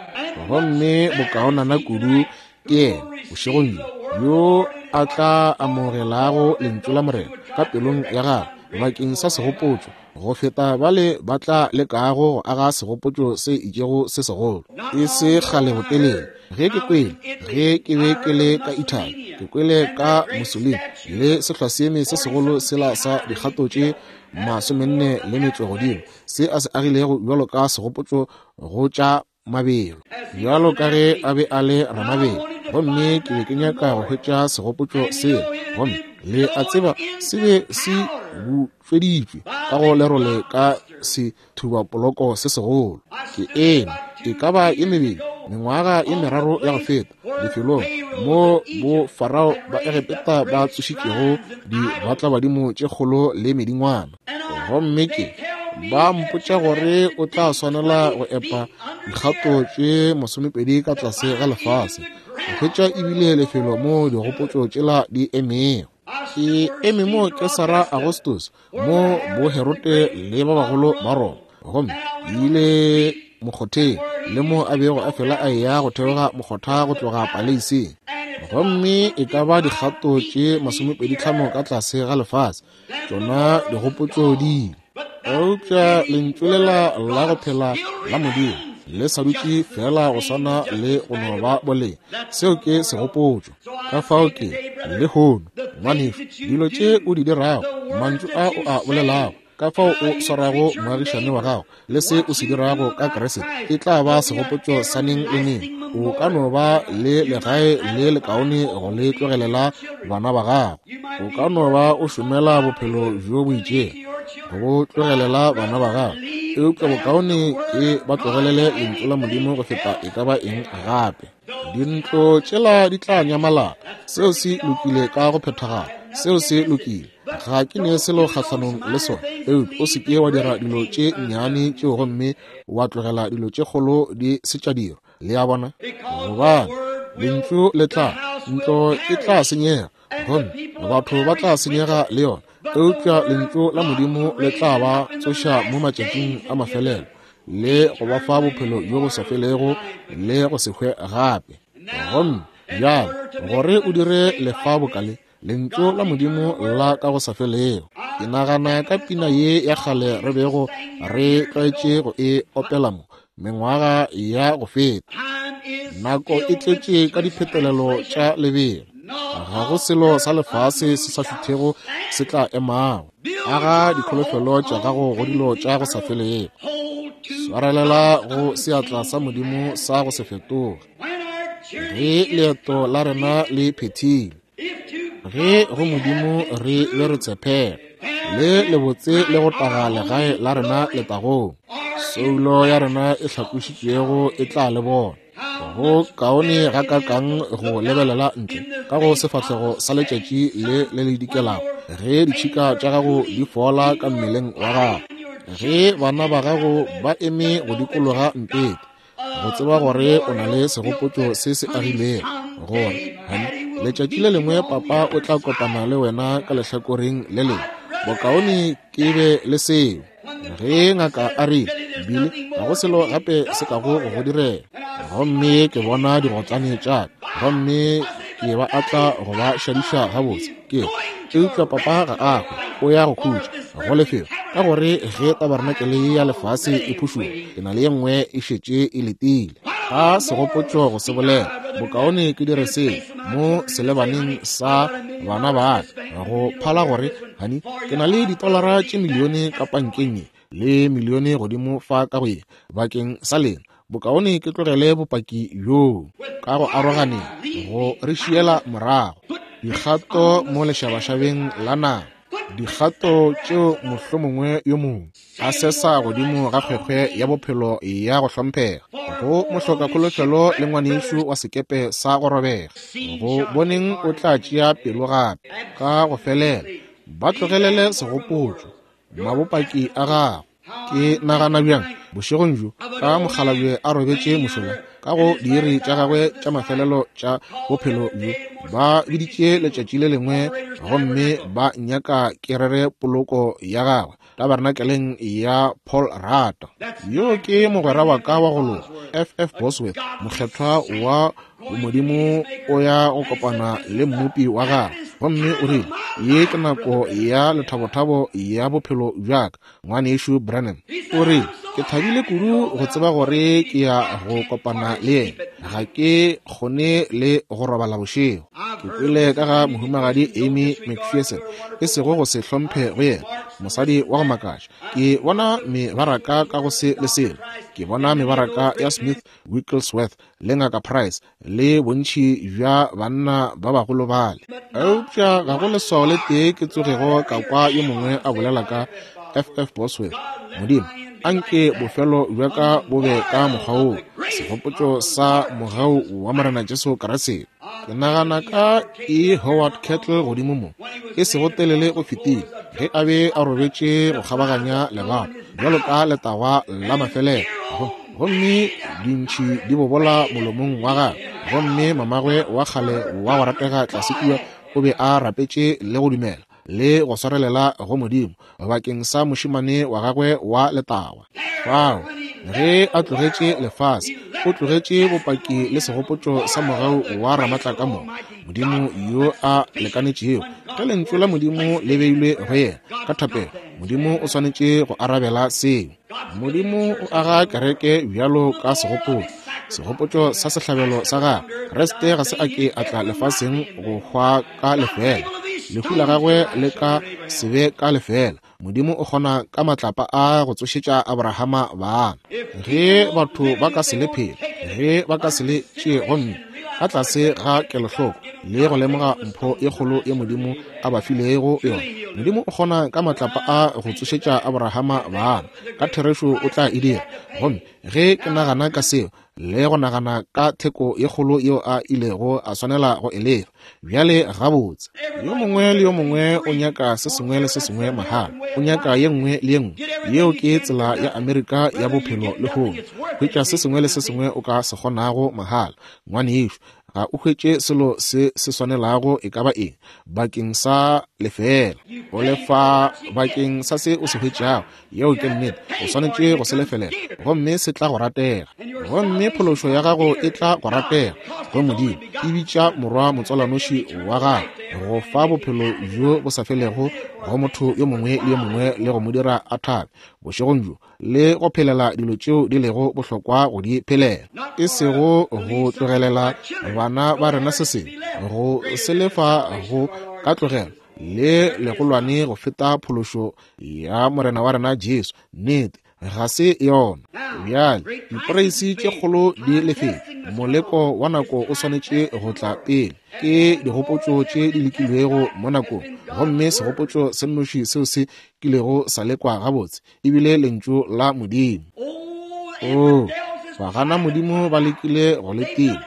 Gomme bokaonana kudu ke yena bošegong bjo yo a tla amogelago lentšu la Morena ka pelong ya gagwe bakeng sa segopotšo, go feta bale ba tla lekago go aga segopotšo se itšego se segolo. E se kgale botelele ge ke kwele, ge ke be ke le ka Italy, ke kwele ka Mussolini le sehlwaseeme se segolo sela sa dikgato tše masomenne le metšo godimo se a se agilego bjalo ka segopotšo go tša mabelo, bjalo ka ge a be a le ramabelo. Gomme ke be ke nyaka go hwetša segopotšo seo, gomme le a tseba se be se butšweditšwe ka go lerole ka sethubapoloko se segolo. Ke eme e ka ba ye mebedi mengwaga ye meraro ya go feta lefelong mo bo Farao ba Egepeta ba tsošitšego dibatlabadimo tše kgolo le medingwana. Gomme ke ba mpotša gore o tla swanela go epa dikgato tše masomepedi ka tlase ga lefase go hwetša ebile lefelo mo digopotšo tšela di emego. Ke eme mo Kesara Augustus, mo bo Herote le ba bagolo ba Roma, gomme ile mokgotheng le mo a bego a fela a eya go theoga mokgotha go tloga paleiseng. Gomme e ka ba dikgato tše masomepedi tlhano ka tlase ga lefase tšona digopotšo di ile. Eupša lentšu lela la go phela la Modimo le sa dutše fela go swana le go no ba boleng. Seo ke segopotšo. Ka fao ke lehono, ngwanešu, dilo tše o di dirago, mantšu a o a bolelago, ka fao o swarago moagišane wa gago le se o se dirago ka Kriste, e tla ba segopotšo sa neng le neng. O ka no ba le legae le lekaone go le tlogelela bana ba gago. O ka no ba o šomela bophelo bjo bo itšego go bo tlogelela bana ba gago, eupša bokaone ke ba tlogelele lentšu la Modimo go feta e ka ba eng gape. Dintlo tšela di tla nyamalala. Seo se lokile ka go phethagala. Seo se lokile. Ga ke ne selo kgahlanong le sona, eupša o se ke wa dira dilo tše nnyane tšeo gomme wa tlogela dilo tše kgolo di se tša dirwa. Le a bona? Gobane lentšu le tla, ntlo e tla senyega, gomme batho ba tla senyega le yona, eupša lentšu la Modimo le tla ba tsoša mo matšatšing a mafelelo le go ba fa bophelo bjo bo sa felego le go se hwe gape. Gomme bjale gore o dire lefa bokale, lentšu la Modimo la ka go sa felego. Ke nagana ka pina ye ya kgale re bego re tlwaetše go e opela mo mengwaga ya go feta. Nako e tletše ka diphetelelo tša lebelo. Ga go selo sa lefase se sa šuthego se tla emago. Aga dikholofelo tša gago go dilo tša go sa felego. Swarelela go seatla sa Modimo sa go se fetoge. Ge leeto la rena le phethile, ge go Modimo re be re tshepela, le lebotse le go taga legae la rena letagong, soulo ya rena e hlakošitšwego e tla le bona. Go kaone gakakang go lebelela ntle ka go sefahlego sa letšatši le le le dikelago, ge ditšhika tša gago di fola ka mmeleng wa gago, ge bana ba gago ba eme go dikologa mpete, go tseba gore o na le segopotšo se se agilego, gore honey, letšatši le lengwe papa o tla kopana le wena ka lehlakoreng le lengwe. Bokaone ke be le seo. Ge ngaka a rile, Bile ga go selo gape se kago go go direla, gomme ke bona digotlane tša ka, gomme ke ba atla go ba šadiša gabotse, ke eupša papa ga a hwe, o ya go khutša go lefelo, ka gore ge tabarenakele ya lefase e phušoga, ke na le ye nngwe e šetše e letile. Ga segopotšo go se bolela, bokaone ke dire seo mo selebaneng sa bana ba ka, go phala gore honey, ke na le ditolara tše milione ka pankeng ye le milione godimo fa ka go ye bakeng sa lena. Bokaone ke tlogele bopaki bjoo ka go aroganeng go re šiela morago dikgato mo lešabašabeng la naga. Dikgato tšeo mohlomongwe yo mongwe a sesa godimo ga kgwekgwe ya bophelo ya go hlomphega, go mohloka kholofelo le ngwanešu wa sekepe sa go robega, go boneng o tla tšea pelo gape ka go felela. Ba tlogelele segopotšo, mabopaki a gago. Ke nagana bjang bošegong bjo ka mokgalabje a robetše mošola ka go diiri tša gagwe tša mafelelo tša bophelo bjo. Ba biditše letšatši le lengwe gomme ba nyaka ke rere poloko ya gagwe tabernakeleng ya Paul Rata. Yo ke mogwera wa ka wa go loka, F F Bosworth, mokgethwa wa Modimo, o ya go kopana le mmopi wa gagwe. Gomme o rile, ye ke nako ya lethabothabo ya bophelo bja ka, ngwanešu Branham. O rile, ke thabile kudu go tseba gore ke ya go kopana le yena. Ga ke kgone le go robala bošego. Ke kwele ka ga mohumagadi Amy McPherson, e sego go se hlomphe go yena, mosadi wa go makatša. Ke bona mebaraka ka go se le selo. Ke bona mebaraka ya Smith Wigglesworth le Ngaka Price le bontši bja banna ba bagolo bale. Eupša ga go leswao le tee ke tsogego ka kwa yo mongwe a bolela ka F F Bosworth. Modimo, anke bofelo bja ka bo be ka mokgwa woo, segopotšo sa mogau wa Morena Jesu Kriste. Ke nagana ka E. Howard Kettle godimo mo, e sego telele go fetile, ge a be a robetše go kgabaganya lebato bjalo ka letagwa la mafelelo, gomme dintšhi di bobola molomong wa gagwe, gomme mamagwe wa kgale wa go ratega tlase kua o be a rapetše le go dumela le go swarelela go Modimo bakeng sa mošemane wa gagwe wa letagwa. Fao ge a tlogetše lefase, o tlogetše bopaki le segopotšo sa mogau wa Ramatlakamoka, Modimo yo a lekanetšego. Ge lentšu la Modimo le beilwe go yena ka thapelo, Modimo o swanetše go arabela seo. Modimo o aga kereke bjalo ka segopotšo, segopotšo sa sehlabelo sa gagwe. Kriste ga se a ke a tla lefaseng go hwa ka lefela. Lehu la gagwe le ka se be ka lefela. Modimo o kgona ka matlapa a go tsošetša Abrahama bana. Ge batho ba ka se le phele, ge ba ka se le tšee gomme ka tlase ga kelohloko le go lemoga mpho ye kgolo ye Modimo a ba filego yona, Modimo o kgona ka matlapa a go tsošetša Abrahama bana. Ka therešo o tla e dira. Gomme ge ke nagana ka seo le go nagana ka theko ye kgolo yeo a ilego a swanela go e lefa, bjale gabotse, yo mongwe le yo mongwe o nyaka se sengwe le se sengwe mahala, o nyaka ye nngwe le ye nngwe. Yeo ke tsela ya Amerika ya bophelo lehono. Hwetša se sengwe le se sengwe o ka se kgonago mahala. Ngwanešu, ga o hwetše selo se se swanelago e ka ba eng bakeng sa lefela. O lefa bakeng sa se o se hwetšago. Yeo ke nnete. O swanetše go se lefelela, gomme se tla go ratega. Gomme phološo ya gago e tla go ratega go Modimo. E bitša morwa motswalanoši wa gago go fa bophelo bjo bo sa felego go motho yo mongwe le yo mongwe le go mo dira a thabe bošegong bjo, le go phelela dilo tšeo di lego bohlokwa go di phelela, e sego go tlogelela bana ba rena se sengwe, go se lefa go ka tlogelo le legolwane go feta phološo ya Morena wa rena Jesu. Nnete ga se yona. Bjale diporeisi tše kgolo di lefetšwe, moleko wa nako o swanetše go tla pele. Ke digopotšo tše di lekilwego mo nakong, gomme segopotšo se nnoši seo se kilego sa lekwa gabotse ebile lentšu la Modimo. O, bagana Modimo ba lekile go le tima,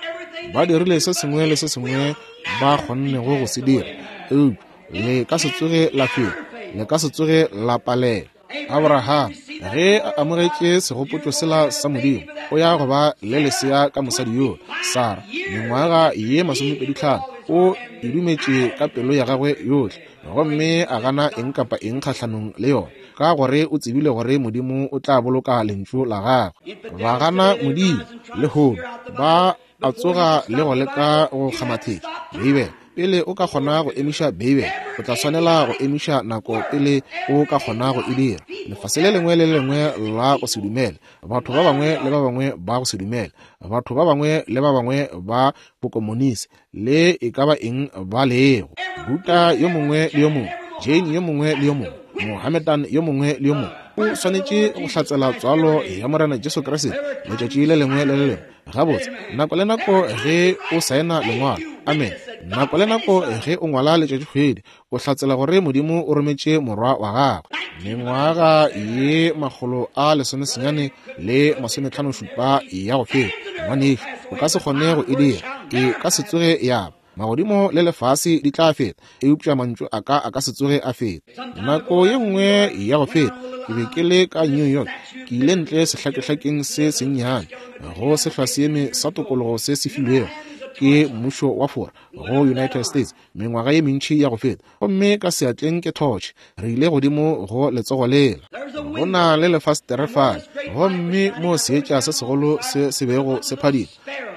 ba dirile se sengwe le se sengwe ba kgonnego go se dira, eupša le ka se tsoge la fela, le ka se tsoge la palela. Abraham ge a amogetše segopotšo sela sa Modimo, o ya go ba le lesea ka mosadi yo Sara, mengwaga ye masomepedi tlhano, o e dumetše ka pelo ya gagwe yohle, gomme a gana eng kapa eng kgahlanong le yona, ka gore o tsebile gore Modimo o tla boloka lentšu la gagwe. Ba gana Modimo lehono, ba a tsoga le go leka go kgamathetša Beibele. Pele o ka kgona go emiša Beibele, o tla swanela go emiša nako pele o ka kgona go e dira. Lefase le lengwe le lengwe la go se dumele, batho ba bangwe le ba bangwe ba go se dumele, batho ba bangwe le ba bangwe ba bokomonisi, le e ka ba eng ba lego. Buddha yo mongwe le yo mongwe, Jane yo mongwe le yo mongwe, Mohammedan yo mongwe le yo mongwe, o swanetše go hlatsela tswalo ya Morena Jesu Kriste letšatši le lengwe le le lengwe. Gabotse, nako le nako ge o saena lengwalo, Amen. Nako le nako ge o ngwala letšatšikgwedi, o hlatsela gore Modimo o rometše morwa wa gagwe. Mengwaga ye makgolo a lesomesenyane le masometlhano šupa ya go feta, ngwanešu, o ka se kgone go e dira. E ka se tsoge ya ba. Magodimo le lefase di tla feta, eupša mantšu a ka a ka se tsoge a feta. Nako ye nngwe ya go feta, ke be ke le ka New York, ke ile ntle sehlakehlakeng se sennyane go sehlwaseeme sa tokologo se se filwego ke mmušo wa Fora go United States mengwaga ye mentši ya go feta, gomme ka seatleng ke thotšhe. Re ile godimo go letsogo lela, go na le lefastere fale, gomme mo seetša se segolo se se bego se phadima,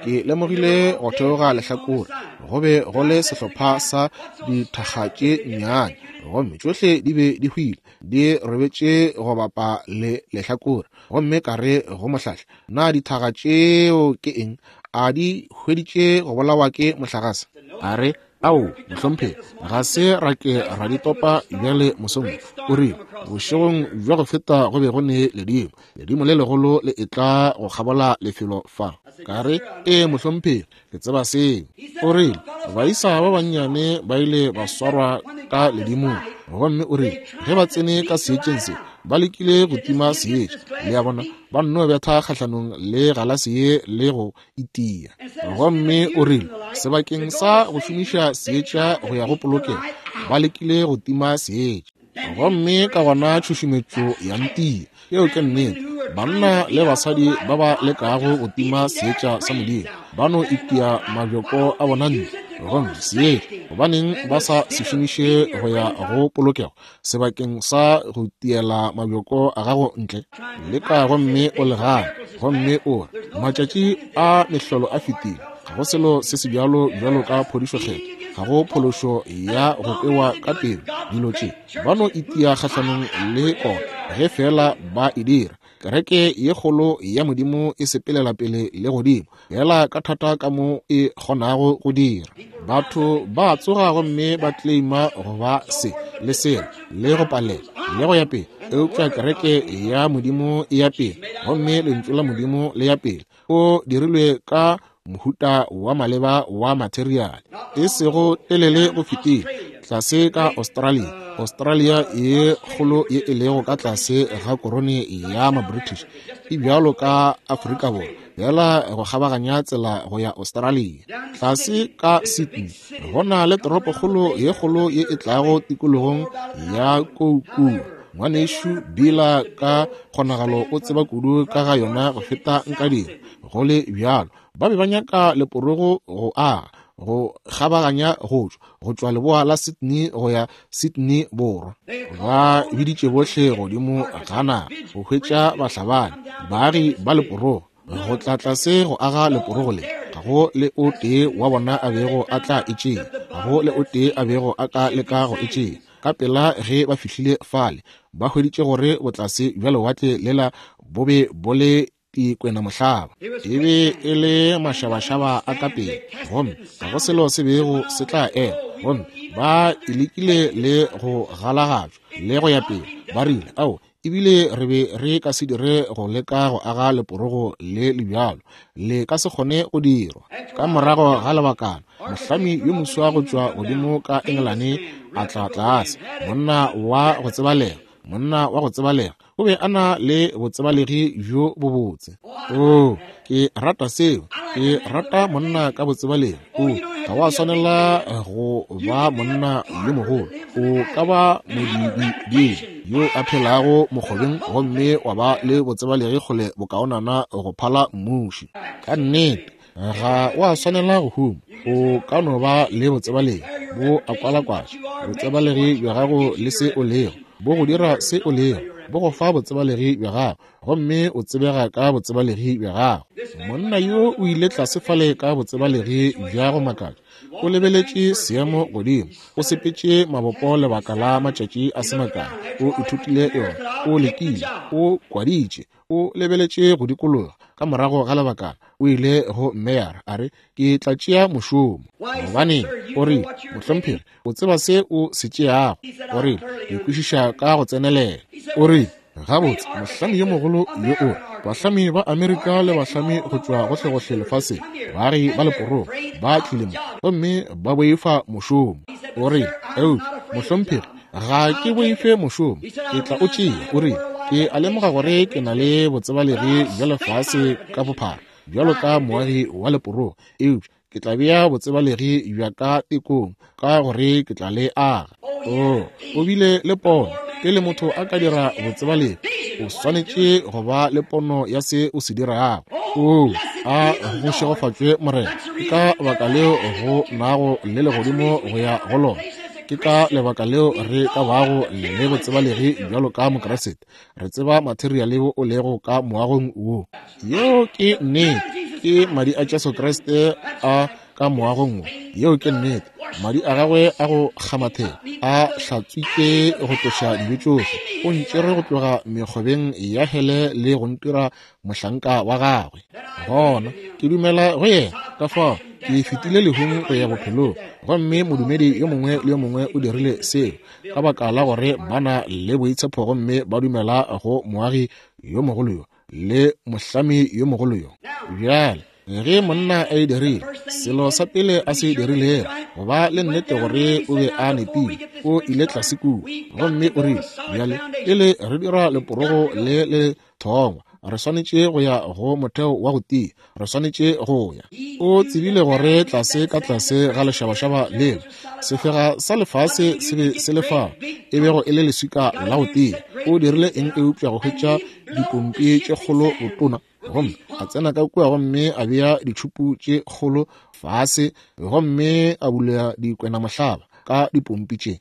ke lemogile go theoga lehlakore go be go le sehlopha sa dithaga tše nnyane, gomme tšohle di be di hwile di robetše go bapa le lehlakore. Gomme ka re go mohlahli, na dithaga tšeo ke eng? A di hweditše go bolawa ke mohlagase? A re, ao, mohlomphegi, ga se ra ke ra di topa bjale mosong. O rile, bošegong bja go feta go be go ne ledimo, ledimo le legolo le etla go kgabola lefelo fa. Ka re, ee mohlomphegi, ke tseba seo. O rile, baisa ba bannyane ba ile ba swarwa ka ledimong, gomme o rile, ge ba tsene ka seetšeng se, ba lekile go tima seetša, le a bona, ba nno betha kgahlanong le galase ye le go itia. Gomme o rile, sebakeng sa go šomiša seetša go ya go polokego, ba lekile go tima seetša, gomme ka gona tšhušumetšo ya ntia. Yeo ke nnete. Banna le basadi ba ba lekago go tima seetša sa Modimo ba no itia mabjoko a bona ntle, gomme seetša gobaneng ba sa se šomiše go ya go polokego sebakeng sa go tiela mabjoko a gago ntle? Leka gomme o le gane, gomme o re, matšatši a mehlolo a fetile, ga go selo se se bjalo bjalo ka phodišo kgetho, ga go phološo ya go kwewa ka pelo. Dilo tše ba no itia kgahlanong le kona ge fela ba e dira. Kereke ye kgolo ya Modimo e sepelela pele le godimo fela ka thata ka mo e kgonago go dira. Batho ba tsoga gomme ba claima go ba se le sela le go palela le go ya pele, eupša kereke ya Modimo e ya pele, gomme lentšu la Modimo le ya pele. O dirilwe ka mohuta wa maleba wa materiale, e sego telele go fetile tlase ka Australia. Australia ye kgolo ye e lego ka tlase ga korone ya ma-British e bjalo ka Afrika Borwa, fela go kgabaganya tsela go ya Australia. Tlase ka Sydney go na le toropokgolo ye kgolo ye e tlago tikologong ya Koukuu. Ngwanešu Bila ka kgonagalo o tseba kudu ka ga yona go feta nka dira. Go le bjalo, ba be ba nyaka leporogo go aga go kgabaganya go tšwa go tšwa leboa la Sydney go ya Sydney borwa. Ba biditše bohle godimo ga naga go hwetša bahlabani, baagi ba leporogo, go tla tlase go aga leporogo le. Ga go le o tee wa bona a bego a tla e tšea, ga go le o tee a bego a ka leka go e tšea. Ka pela ge ba fihlile fale, ba hweditše gore botlase bja lewatle lela bo be bo le dikwena mohlaba, e be e le mašabašaba a ka pele, gomme ga go selo se bego se tla ema. Gomme ba e lekile le go galagatšwa le go ya pele. Ba rile, ao, ebile re be re ka se dire go leka go aga leporogo le le bjalo, le ka se kgone go dirwa. Ka morago ga lebakana, mohlami yo moswa go tšwa godimo ka Engelane a tla tlase, monna wa go tsebalega, monna wa go tsebalega, o be a na le botsebalegi bjo bobotse. Oh, ke rata seo. Ke rata monna ka botsebalegi. O ga wa swanela go ba monna yo mogolo, o ka ba modibidi yo a phelago mokgobeng gomme wa ba le botsebalegi kgole bokaonana go phala mmuši. Ka nnete ga wa swanela go huma, o ka no ba le botsebalegi bo a kwalakwatša botsebalegi bja gago le se o lego, bo go dira se o lego, bo go fa botsebalegi bja gago, gomme o tsebega ka botsebalegi bja gago. Monna yo o ile tlase fale ka botsebalegi bja go makatša. O lebeletše seemo godimo, o sepetše mabopo lebaka la matšatši a se makae, o ithutile yona, o lekile, o kwaditše, o lebeletše go dikologa. Ka morago ga lebakana o ile go meyara a re, ke tla tšea mošomo. Gobaneng? O rile, mohlomphegi, o tseba se o se tšeago. O rile, ke kwešiša ka go tsenelela. O rile, Gabotse, mohlami yo mogolo yo o bahlami ba Amerika le bahlami go tšwa gohlegohle lefaseng, baagi ba leporogo ba tlile mo gomme ba boifa mošomo. O rile, eupša mohlomphegi, ga ke boife mošomo, ke tla o tšea. O rile, ke a lemoga gore ke na le botsebalegi bja lefase ka bophara bjalo ka moagi wa leporogo, eupša ke tla bea botsebalegi bja ka tekong ka gore ke tla le aga. Oh, o bile le pono. Pele motho a ka dira botsebalegi, o swanetše go ba le pono ya se o se dirago. Oh, a go šegofatšwe Morena. Ke ka baka leo go nago le legodimo go ya go lona. Ke ka lebaka leo re ka bago le botsebalegi bjalo ka Mokriste. Re tseba materiale wo o lego ka moagong wo. Yeo ke nnete. Ke madi a Jesu Kriste a ka moagong wo. Yeo ke nnete. Madi a gagwe a go kgamathela a hlatswitše go tloša dibe tšohle. O ntšere go tloga mekgobeng ya hele le go ntira mohlanka wa gagwe. Gona ke dumela go yena, ka fao ke fetile lehung go ya bophelong. Gomme modumedi yo mongwe le yo mongwe o dirile seo ka baka la gore ba na le boitshepo gomme ba dumela go moagi yo mogolo yo le mohlami yo mogolo yo. Bjale ge monna a e dirile, selo sa pele a se dirilego go ba le nnete gore o be a nepile, o ile tlase kua gomme o rile, bjale pele re dira leporogo le le thongwa, re swanetše go ya go motheo wa go tia, re swanetše go ya. O tsebile gore tlase ka tlase ga lešabašaba leo, sefega sa lefase se be se le fao, e bego e le leswika la go tia. O dirile eng eupša go hwetša dipompi tše kgolo botona, gomme a tsena ka kua gomme a bea ditšhupu tše kgolo fase gomme a bula dikwenamohlaba ka dipompi tše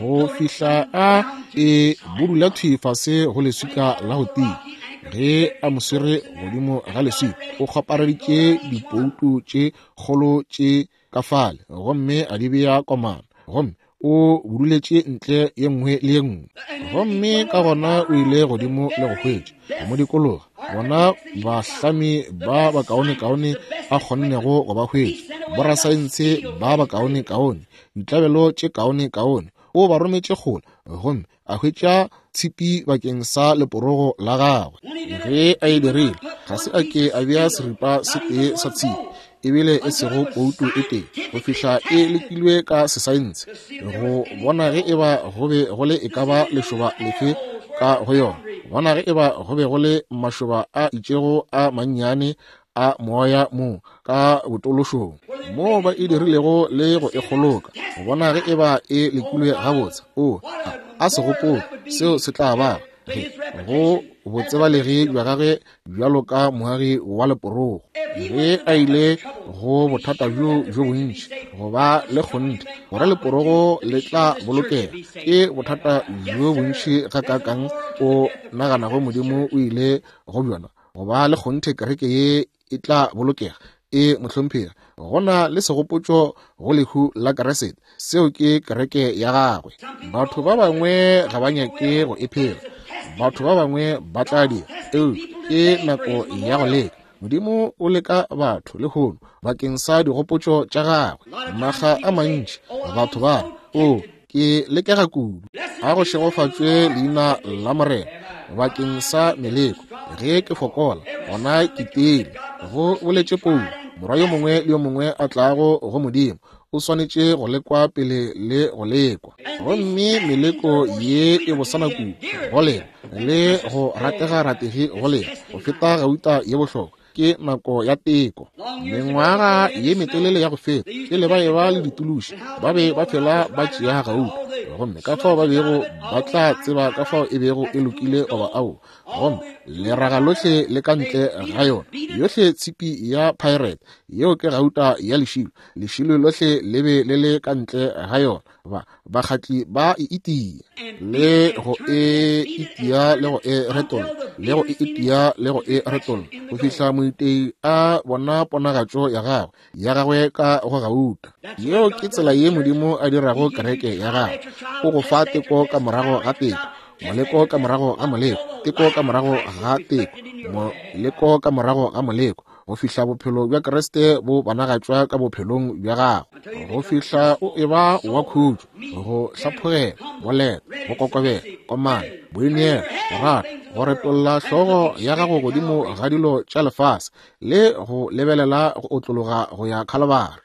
go fihla a e budula thwi fase go leswika la go tia. Ge a mo swere godimo ga leswika, o kgopareditše dipoutu tše kgolo tše ka fale gomme a di bea komana, gomme o buduletše ntle ye nngwe le ye nngwe. Gomme ka gona o ile godimo le go hwetša go mo dikologa bona bahlami ba bakaonekaone a kgonnego go ba hwetša, borasaense ba bakaonekaone, ditlabelo tše kaonekaone. O ba rometše kgole gomme a hwetša tshipi bakeng sa leporogo la gagwe. Ge a e dirile, ga se a ke a bea seripa se tee sa tshipi, ebile e sego poutu e tee, go fihla e lekilwe ka sesaense go bona ge eba go be go le e ka ba lešoba lefe ka go yona, bona ge eba go be go le mašoba a itšego a mannyane a moya mo ka botološong moo ba e dirilego le go e kgoloka, go bona ge eba e lekilwe gabotse. O a se gopole seo se tla ba ge go botsebalegi bja gagwe bjalo ka moagi wa leporogo. Ge a ile go bothata bjo bjo bontši go ba le kgonthe gore leporogo le tla bolokega, ke bothata bjo bontši gakaakang o naganago Modimo o ile go bjona go ba le kgonthe kereke ye e tla bolokega. E mohlomphegi, go na le segopotšo go lehu la Kriste, seo ke kereke ya gagwe. Batho ba bangwe ga ba nyake go e phela, batho ba bangwe ba tla dira, eupša ke nako ya go leka. Modimo o leka batho lehono bakeng sa digopotšo tša gagwe. Makga a mantši batho ba o ke lekega kudu. A go šegofatšwe leina la Morena bakeng sa meleko. Ge ke fokola, gona ke tiile. Go boletše Paulo, morwa yo mongwe le yo mongwe a tlago go Modimo o swanetše go lekwa pele le go lekwa. Gomme meleko ye e bosana kudu go lena le go ratega rategi go lena go feta gauta ye bohlokwa. Ke nako ya teko. Mengwaga ye metelele ya go feta pele ba eba le dituluši, ba be ba fela ba tšea gauta, gomme ka fao ba bego ba tla tseba ka fao e bego e lokile goba ao. Gomme leraga lohle le ka ntle ga yona, yohle tshipi ya pirate, yeo ke gauta ya lešilo, lešilo lohle le be le le ka ntle ga yona. Ba bakgatli ba e itia le go e itia le go e retolla le go e itia le go e retolla go fihla moitei a bona ponagatšo ya gagwe ya gagwe ka go gauta. Yeo ke tsela ye Modimo a dirago kereke ya gagwe. O go fa teko ka morago ga teko, moleko ka morago ga moleko, teko ka morago ga teko, moleko ka morago ga moleko, go fihla bophelo bja Kriste bo bonagatšwa ka bophelong bja gago, go fihla o eba wa khutšo, go hlaphogela, boleta, go kokobela, komana, boineelo, go rata, go retolla hlogo ya gago godimo ga dilo tša lefase le go lebelela go otlologa go ya Khalibari,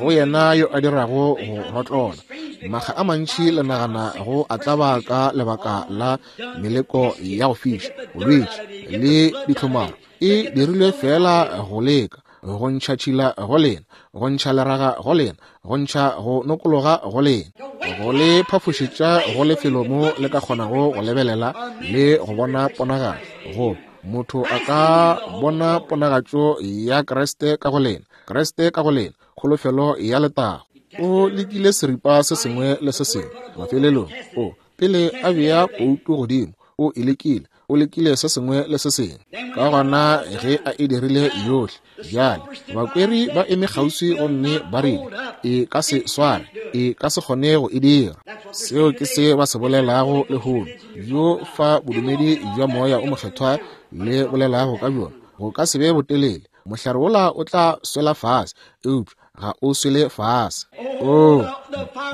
go yena yo a dirago go rotlola. Makga a mantši le nagana go a tlaba ka lebaka la meleko ya go fiša, bolwetši le ditlhomaro. E dirilwe fela go leka, go ntšha tšhila go lena, go ntšha leraga go lena, go ntšha go nokologa go lena, go le phafošetša go lefelo mo le ka kgonago go lebelela le go bona ponagatšo. Go motho a ka bona ponagatšo ya Kriste ka go lena, Kriste ka go lena, kholofelo ya letago. O lekile seripa se sengwe le se sengwe. Mafelelong o pele a bea poutu godimo, o e lekile, o lekile se sengwe le se sengwe. Ka gona ge a e dirile yohle, bjale bakweri ba eme kgauswi gomme ba rile, e ka se sware, e ka se kgone go e dira. Seo ke se ba se bolelago lehono, bjo fa bodumedi bja moya o mokgethwa le bolelago ka bjona. Go ka se be botelele, mohlare wola o tla swela fase, eupša ga o swele fase. O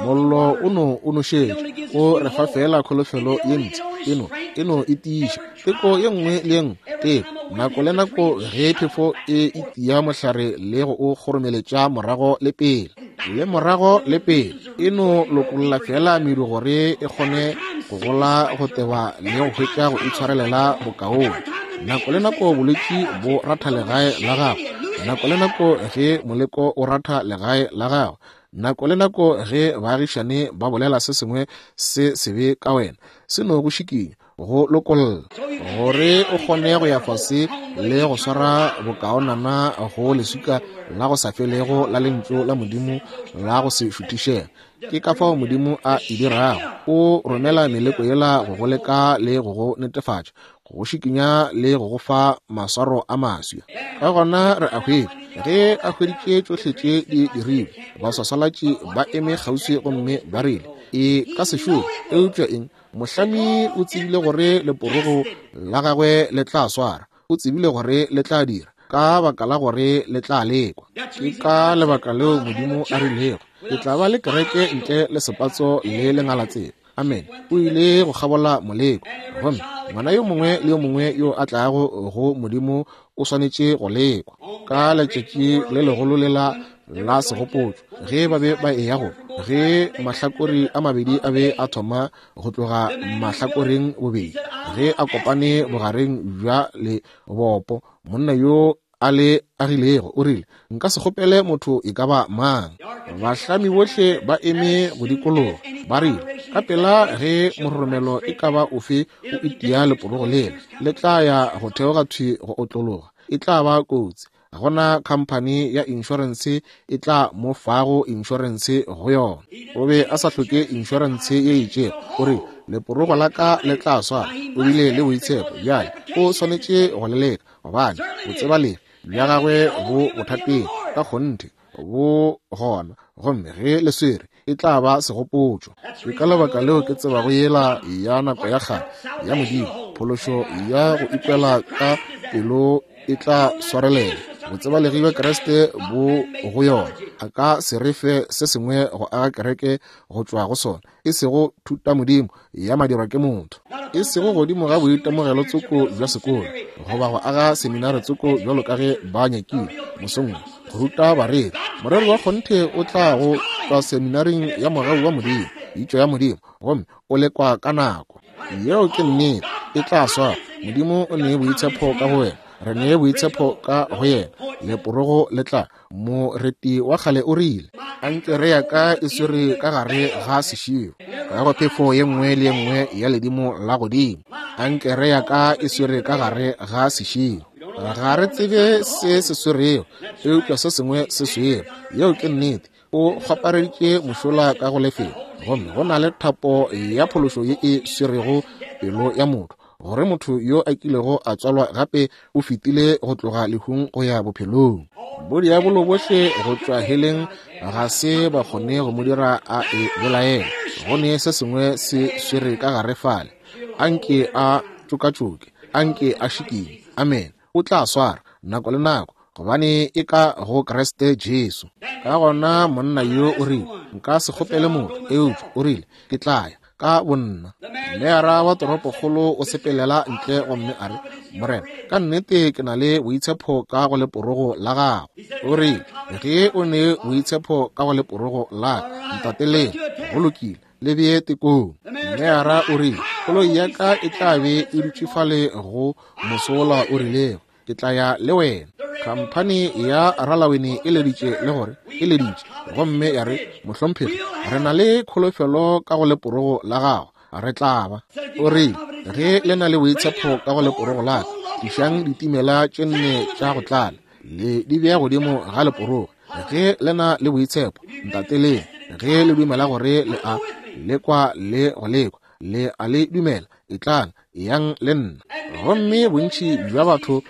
mollo o no o nošetša, o re fa fela kholofelo ye ntši, eno eno e tiiša teko ye nngwe le ye nngwe, teko nako le nako ge phefo e itia mohlare le go o kgoromeletša morago le pele le morago le pele, e no lokolla fela medu gore e kgone go gola go teba le go hwetša go itshwarelela bokaone. Nako le nako bolwetši bo ratha legae la gago, nako le nako ge moleko o ratha legae la gago, nako le nako ge baagišane ba bolela se sengwe se sebe ka wena, se no go šikinya, go lokolla, gore o kgone go ya fase le go swara bokaonana go leswika la go sa felego la lentšu la Modimo la go se šuthišega. Ke ka fao Modimo a e dirago. O romela meleko yela go go leka le go go netefatša, go go šikinya le go go fa maswaro a maswi. Ka gona re a hwetša, ge a hweditše tšohle tše di dirilwe, baswaswalatši ba eme kgauswi gomme ba rile, e ka se šome. Eupša eng? Mohlami o tsebile gore leporogo la gagwe le tla swara, o tsebile gore le tla dira, ka baka la gore le tla lekwa. Ke ka lebaka leo Modimo a rilego, ke tla ba le kereke ntle le sepatso le lengalatsela. Amen. O ile go kgabola moleko, gomme ngwana yo mongwe le yo mongwe yo a tlago go Modimo o swanetše go lekwa. Ka letšatši le legolo lela la segopotšo, ge ba be ba eya go, ge mahlakori a mabedi a be a thoma go tloga mahlakoreng bobedi, ge a kopane bogareng bja lebopo, monna yo a le agilego o rile, nka se kgopele motho e ka ba mang. Bahlami bohle ba eme go dikologa, ba rile, ka pela ge mororomelo e ka ba ofe o itia leporogo lela, le tla ya go theoga thwi go otlologa, e tla ba kotsi. Ga gona khamphani ya inšorense e tla mo fago inšorense go yona. O be a sa hloke inšorense ye itšego. O re, leporogo la ka le tla swara. O bile le boitshepo. Bjale o swanetše go le leka, gobane botsebalegi bja gagwe bo bothateng ka kgonthe bo gona, gomme ge le swere e tla ba segopotšo. Ke ka lebaka leo ke tsebago yela ya nako ya kgale ya Modimo, phološo ya go ikwela ka pelo e tla swarelela. Botsebalegi bja Kriste bo go yona. A ka se re fe se sengwe go aga kereke go tšwa go sona, e sego thuta Modimo ya madirwa ke motho, e sego godimo ga boitemogelo tsoko bja sekolo, goba go aga seminare tsoko bjalo ka ge ba nyakile mosong go ruta bareri. Morero wa kgonthe o tla go tšwa seminaring ya mogau wa Modimo, pitšo ya Modimo, gomme o lekwa ka nako. Yeo ke nnete, e tla swara. Modimo o nee boitshepo ka go wena, re nee boitshepo ka go yena. Leporogo le tla. Moreti wa kgale o rile, ankere ya ka e swere ka gare ga seširo, ka go phefo ye nngwe le ye nngwe ya ledimo la godimo. Ankere ya ka e swere ka gare ga seširo. Ga re tsebe se se swerego, eupša se sengwe se swere. Yeo ke nnete. O kgwapareditše mošola ka go lefelo, gomme go na le thapo ya phološo ye e swerego pelo ya motho, gore motho yo a kilego a tswalwa gape o fetile go tloga lehung go ya bophelong. Bodiabolo bohle go tšwa heleng ga se ba kgone go mo dira a e bolaela. Go ne se sengwe se swere ka gare fale. Anke a tšokatšoke, anke a šikinye. Amen. O tla swara nako le nako. gobane e ka go Kriste Jesu. Ka gona monna yo o rile, nka se kgopele motho, eupša o rile, ke tla ya ka bonna. Mmeara wa toropokgolo o sepelela ntle gomme a re, Morena, ka nnete ke na le boitshepo ka go leporogo la gago. O rile, ge o ne boitshepo ka go leporogo la ka, ntateleng, go lokile, le bee tekong. Mmeara o rile, koloi ya ka e tla be e dutše fale go mosola o rilego, ke tla ya le wena. Khamphani ya Ralawene e leditše le gore e leditše gomme ya re, mohlomphegi, re na le kholofelo ka go leporogo la gago, re tla ba. O rile, ge le na le boitshepo ka go leporogo la ka, tlišang ditimela tše nne tša go tlala, le di bea godimo ga leporogo. Ge le na le boitshepo, ntateleng. Ge le dumela gore le a lekwa le go lekwa, le a le dumela, etlang, eyang le nna. Gomme bontši bja batho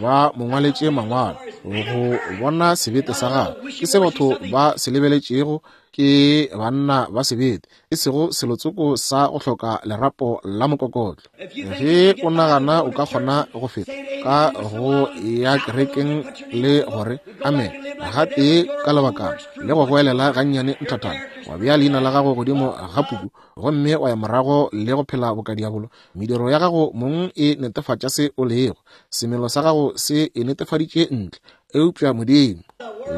ba mo ngwaletše mangwalo go bona sebete sa gagwe. Ke se batho ba se lebeletšego, ke banna ba sebete, e sego selotsoko sa go hloka lerapo la mokokotlo. Ge o nagana o ka kgona go feta ka go ya kerekeng le gore amen gatee ka lebakana le go goelela gannyane nthathana, wa bea leina la gago godimo ga puku gomme wa ya morago le go phela boka diabolo, mediro ya gago mong e netefatša se o lego, semelo sa gago se e netefaditše ntle. Eupša Modimo,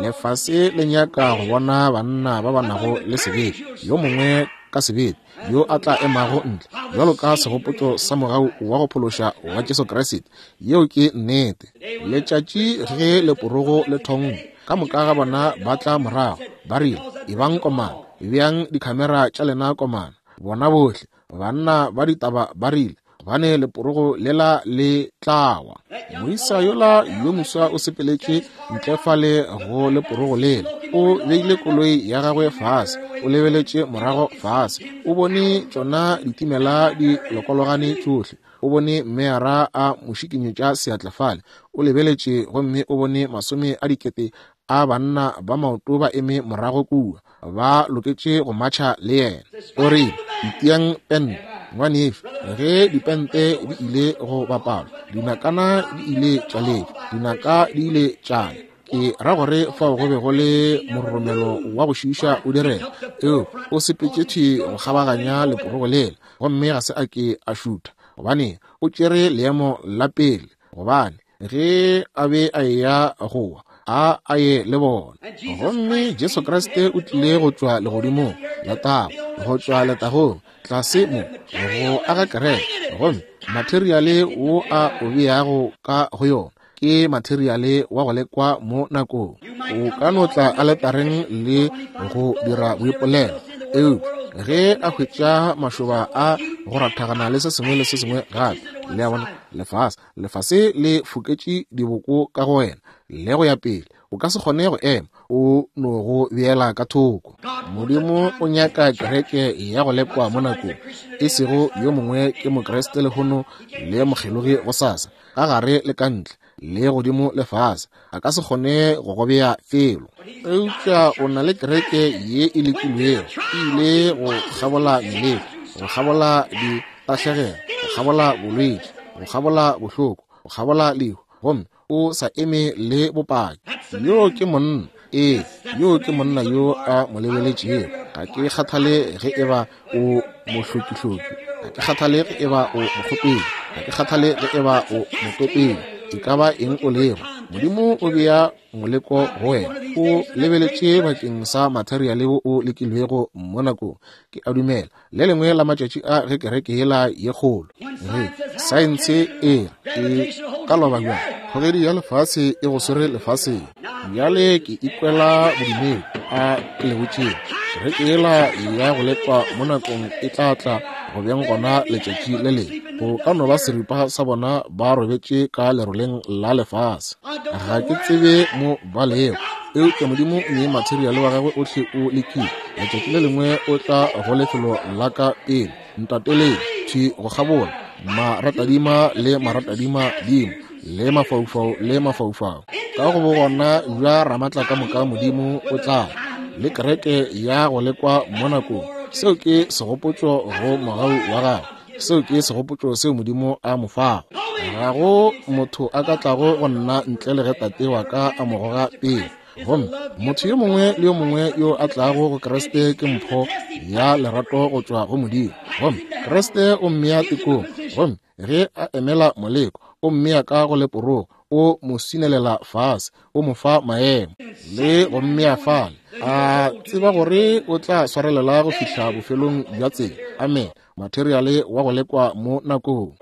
lefase le nyaka go bona banna ba ba nago le sebete, yo mongwe ka sebete yo a tla emago ntle bjalo ka segopotšo sa mogau wa go phološa wa Jesu Kriste. Yeo ke nnete. Letšatši ge leporogo le thongwa, ka moka ga bona ba tla morago, ba rile, ebang komana, beang dikhamera tša lena komana. Bona bohle banna ba ditaba ba rile, gobane leporogo lela le tlawa. Moisa yola yo moswa o sepeletše ntle fale go leporogo lela, o beile koloi ya gagwe fase, o lebeletše morago fase, o bone tšona ditimela di lokologane tšohle, o bone mmeara a mo šikinyetša seatla fale, o lebeletše gomme o bone masome a dikete a banna ba maoto ba eme morago kua, ba loketše go matšha le yena. O rile, itiang pente, ngwanešu. Ge dipente di ile go bapalwa, dinakana di ile tša letšwa, dinaka di ile tša ya. Ke ra gore fao go be go le mororomelo wa go šiiša o direga. Eo o sepetše thwi go kgabaganya leporogo lela, gomme ga se a ke a šutha, gobane o tšere leemo la pele, gobane ge a be a eya go wa, a a ye le bona. Gomme Jesu Kriste o tlile go tšwa legodimong letago, go tšwa letagong tlase mo go aga kereke, gomme materiale wo a o beago ka go yona ke materiale wa go lekwa mo nakong. O ka no tla aletareng le go dira boipolelo, eupša ge a hwetša mašoba a go rathagana le se sengwe le se sengwe gape, le a bona, lefase lefase le foketše diboko ka go wena le go ya pele, o ka se kgone go ema, o no go beela ka thoko. Modimo o nyaka kereke ya go lekwa mo nakong, e sego yo mongwe ke Mokriste lehono le mokgelogi gosasa, ka gare le ka ntle le godimo lefase, a ka se kgone go go bea felo. Eupša o na le kereke ye e lekilwego, e ile go kgabola meleko, go kgabola ditahlegelo, go kgabola bolwetši, go kgabola bohloko, go kgabola lehu, gomme o sa eme le bopaki. Yo ke monna, ee, yo ke monna yo a mo lebeletšego. Ga ke kgathale ge eba o mohlokihloko, ga ke kgathale ge eba o mokgopedi, ga ke kgathale ge eba o motopedi, e ka ba eng o lego, Modimo o bea moleko go wena. O lebeletše bakeng sa materiale wo o lekilwego mo nakong. Ke a dumela le lengwe la matšatši a ge kereke yela ye kgolo, ge saense e re e ka loba bjang, kgogedi ya lefase e go swere lefaseng. Bjale ke ikwela bodumedi a ke le botšeng, kereke yela ya go lekwa mo nakong e tla tla go beng gona letšatši le lengwe. Go ka no ba seripa sa bona ba robetše ka leroleng la lefase, ga ke tsebe mo ba lego, eupša Modimo o ne materiale wa gagwe ohle o lekile. Letšatši le lengwe o tla go lefelo la ka pele, ntateleng thwi go kgabola maratadima le maratadima dimo le mafaufau le mafaufau. Ka go bogona bja Ramatla ka moka Modimo o tla le kereke ya go lekwa mo nakong. Seo ke segopotšo go mogau wa gagwe, seo ke segopotšo seo Modimo a mo fago. Ga go motho a ka tlago go nna ntle le ge Tate wa ka a mo goga pele. Gomme motho yo mongwe le yo mongwe yo a tlago go Kriste ke mpho ya lerato go tšwa go Modimo. Gomme Kriste o mmea tekong, gomme ge a emela moleko, o mmea ka go leporogo, o mo swinelela fase, o mo fa maemo le go mmea fale, a tseba gore o tla swarelela go fihla bofelong bja tsela. Amen. Materiale wa go lekwa mo nakong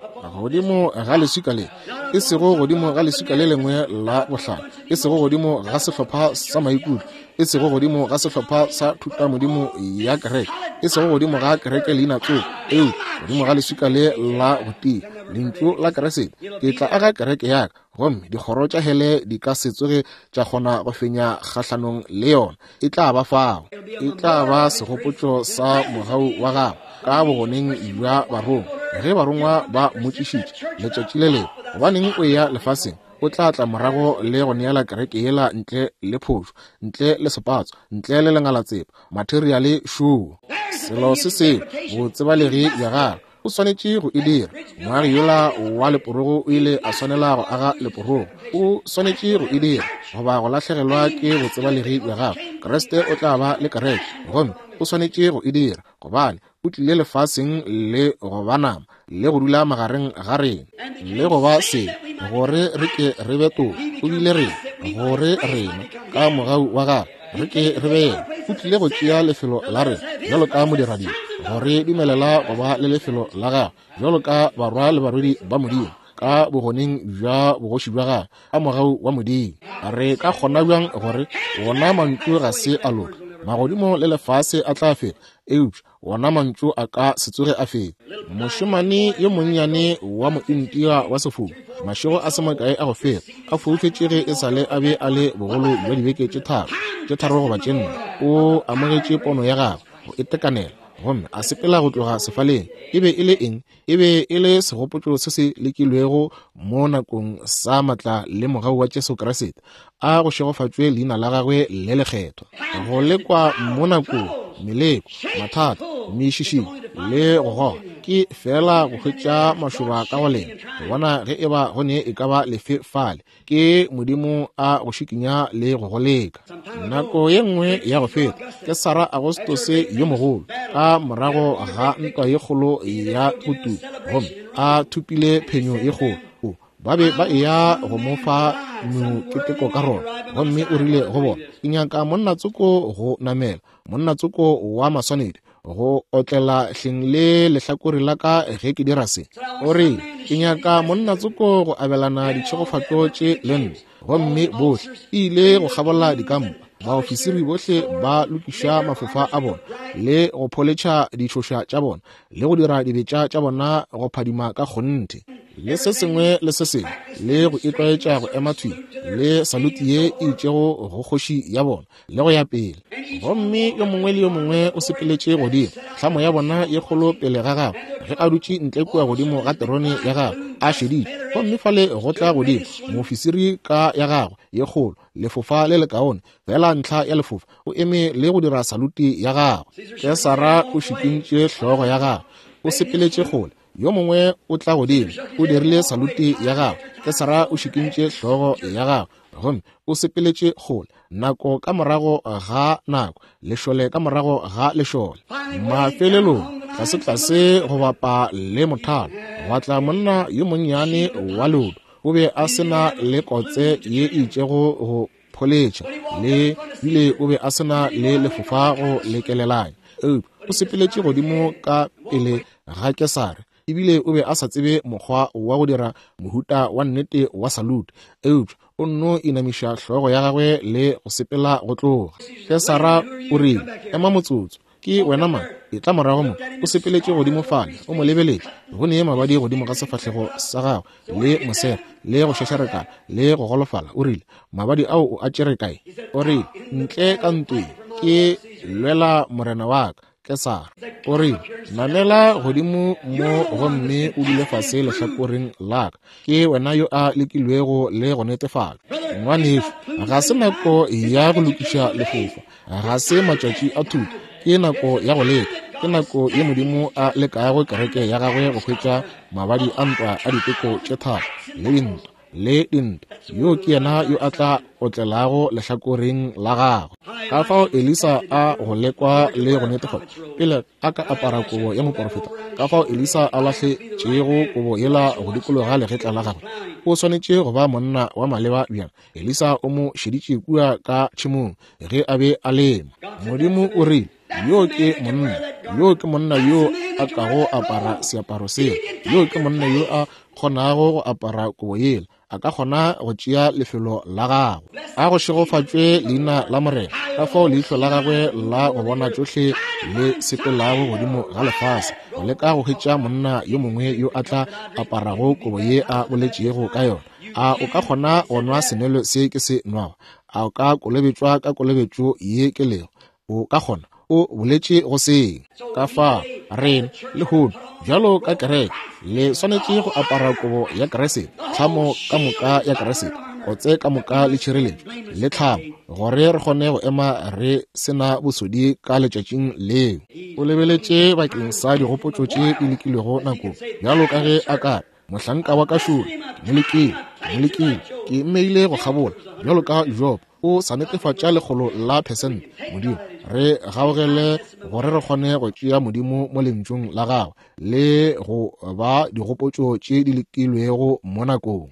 godimo ga leswika le, e sego godimo ga leswika le lengwe la bohlale, e sego godimo ga sehlopha sa maikutlo, e sego godimo ga sehlopha sa thutamodimo ya kereke, e sego godimo ga kereke leina tsogo, eupša godimo ga leswika le la go tia, lentšu la Kriste, ke tla aga kereke ya ka, gomme dikgoro tša hele di ka se tsoge tša kgona go fenya kgahlanong le yona. E tla ba fao, e tla ba segopotšo sa mogau wa gagwe ka bogoneng bja barongwa. Ge barongwa ba mmotšišitše letšatši le lengwe, gobaneng o eya lefaseng, o tla tla morago le go neela kereke yela ntle le phošo, ntle le sepatso, ntle le lengalatsepa, materiale šoo. Selo se seo botsebalegi bja gagwe o swanetše go e dira. Moagi yola wa leporogo o ile a swanela go aga leporogo. O swanetše go e dira goba go lahlegelwa ke botsebalegi bja gagwe. Kriste o tla ba le kereke, gomme o swanetše go e dira gobane o tlile lefaseng le go ba nama le go dula magareng ga rena le go ba se gore re ke re be toka. O bile rena gore rena ka mogau wa gagwe re ke re be yena. O tlile go tšea lefelo la rena bjalo ka modiradibe, gore dumelela go ba le lefelo la gagwe bjalo ka barwa le barwedi ba Modimo ka bogoneng bja bogoši bja gagwe ka mogau wa Modimo. Re ka kgona bjang gore wona mantšu ga se a loka? Magodimo le lefase a tla feta, eupša wona mantšu a ka se tsoge a feta. Mošemane yo monnyane wa mointia wa sefofu, mašego a se makae a go feta, a foufetše ge e sa le a be a le bogolo bja dibeke tše tharo, tše tharo goba tše nne, o amogetše pono ya gagwe go itekanela, gomme a sepela go tloga sefaleng. E be e le eng? E be e le segopotšo se se lekilwego mo nakong sa matla le mogau wa Jesu Kriste. A go šegofatšwe leina la gagwe le lekgethwa. Go lekwa mo nakong, meleko, mathata, mešišinyo le go goga ke fela go hwetša mašoba ka go lena, go bona ge eba go ne e ka ba lefe fale. Ke Modimo a go šikinya le go go leka. Nako ye nngwe ya go feta, Kesara Agostose yo mogolo, ka morago ga ntwa ye kgolo ya go tuka, gomme a thopile phenyo ye kgolo, ba be ba eya go mo fa moketeko ka rona, gomme o rile go bona, ke nyaka monna tsoko go namela, monna tsoko wa maswanedi go otlela hleng le lehlakore la ka ge ke dira se. O re, ke nyaka monna tsoko go abelana ditšhegofatšo tše le nna. Gomme bohle e ile go kgabola dikampa, baofisiri bohle ba lokiša mafofa a bona le go pholetšha ditšhoša tša bona le go dira dibetša tša bona go phadima ka kgonthe, le se sengwe le se sengwe, le go itlwaetša go ema thwi le saluti ye e itšego go kgoši ya bona le go ya pele. Gomme yo mongwe le yo mongwe o sepeletše godimo, tlhamo ya bona ye kgolo pele ga gagwe ge a dutše ntle kua godimo ga terone ya gagwe a šeditše. Gomme fale go tla godimo moofisiri ka ya gagwe ye kgolo, lefofa le lekaone, fela ntlha ya lefofa, o eme le go dira saluti ya gagwe. Kesara o šikintše hlogo ya gagwe, o sepeletše kgole. Yo mongwe o tla godimo, o dirile saluti ya gagwe. Kesara o šikintše hlogo ya gagwe, gomme o sepeletše kgole. Nako ka morago ga nako, lešole ka morago ga lešole. Mafelelong, tlase-tlase go bapa le mothalo, gwa tla monna yo monnyane wa leoto. O be a se na le kotse ye e itšego go pholetšha, le bile o be a se na le lefofa go lekelelanya. Eupša o sepeletše godimo ka pele ga Kesare, ebile o be a sa tsebe mokgwa wa go dira mohuta wa nnete wa salute, eupša o nno inamiša hlogo ya gagwe le go sepela go tloga. Kesara o rile, ema motsotso, ke wena mang? E tla morago mo. O sepeletše godimo fale, o mo lebeletše, go ne mabadi godimo ga sefahlego sa gagwe, le mosego, le go šešarekana, le go golofala. O rile, mabadi ao o a tšere kae? O rile, ntle ka ntweng, ke lwela morena wa ka Kesara. O rile, namela godimo mo gomme o dule fase lehlakoreng la ka. Ke wena yo a lekilwego le go netefatša. Ngwanešu, ga se nako ya go lokiša lefofa, ga se matšatši a thuto. Ke nako ya go leka. Ke nako ye Modimo a lekago kereke ya gagwe go hwetša mabadi a ntwa a diteko tše tharo le dintwa le dintwa. Yo ke yena yo a tla otlelago lehlakoreng la gagwe. Ka fao Elisa a go lekwa le go netefatša pele a ka apara kobo ya moporofeta. Ka fao Elisa a lahletšego kobo yela go dikologa legetla la gagwe. O swanetše go ba monna wa maleba bjang. Elisa o mo šeditše kua ka tšhemong ge a be a lema. Modimo o rile, yo ke monna, yo ke monna yo a kago apara seaparo seo, yo ke monna yo a kgonago go apara kobo yela, a ka kgona go tšea lefelo la gagwe. A go šegofatšwe leina la Morena. Ka fao leihlo la gagwe la go bona tšohle le sepelago godimo ga lefase go leka go hwetša monna yo mongwe yo a tla aparago kobo ye a boletšego ka yona. A o ka kgona go nwa senwelo se ke se nwago? A o ka kolobetšwa ka kolobetšo ye ke lego? O ka kgona. O boletše go seng. Ka fao rena lehono bjalo ka kereke le swanetše go apara kobo ya Kriste, tlhamo ka moka ya Kriste, kotse ka moka le tšhireletšo le tlhamo, gore re kgone go ema re sena bosodi ka letšatšing leo. O lebeletše bakeng sa digopotšo tše di lekilwego nakong, bjalo ka ge a ka re, mohlanka wa ka šolo, ke mo lekile, ke mo lekile, ke mmeile go kgabola bjalo ka Job. O sa netefatša lekgolo la phesente. Modimo, re gaogele gore re kgone go tšea Modimo mo lentšung la gagwe le go ba digopotšo tše di lekilwego mo nakong.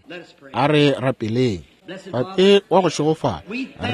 A re rapeleng. Tate wa go šegofala,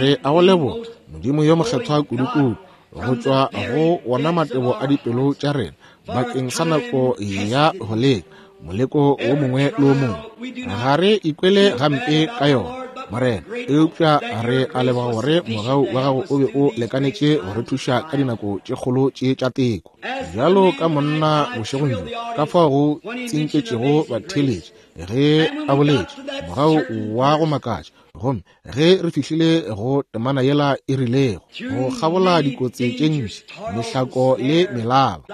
re a go leboga, Modimo yo mokgethwa kudukudu, go tšwa go wona matebo a dipelo tša rena bakeng sa nako ya go leka moleko wo mongwe le wo mongwe. Ga re ikwele gampe ka yona, Morena, eupša re a leboga gore mogau wa gago o be o lekanetše go re thuša ka dinako tše kgolo tše tša teko. Bjalo ka monna bošegong bjo, ka fao go tsinketšego batheeletši ge a boletše mogau wa go makatša, gomme ge re fihlile go temana yela e rilego go kgabola dikotsi tše ntši, mehlako le melaba,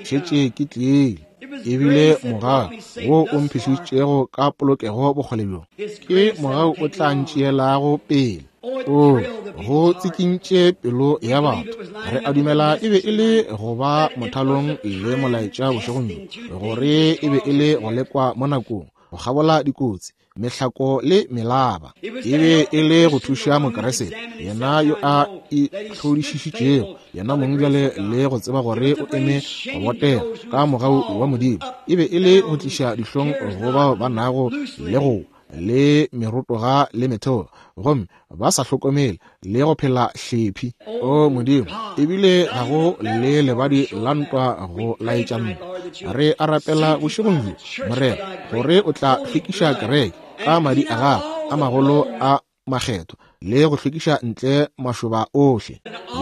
šetše ke tlile. Ebile mogau wo o mphihlišitšego ka polokego bokgole bjo, ke mogau o tla ntšeelago pele. O go tsikintše pelo ya batho. Re a dumela e be e le go ba mothalong le molaetša bošegong bjo, gore e be e le go lekwa mo nakong, go kgabola dikotsi, mehlako le melaba. E be e le go thuša Mokeresete, yena yo a itlhodišišitšego yena mong bjale le go tseba gore o eme go botega ka mogau wa Modimo. E be e le go tliša dihlong go bao ba nago le go le merotoga le metheo, gomme ba sa hlokomele le go phela hlephi. O Modimo, ebile ga go le lebadi la ntwa go laetša ntwa. Re a rapela bošegong bjo, Morena, gore o tla hlwekiša kereke ka madi a gago a magolo a makgethwa, le go hlwekiša ntle mašoba ohle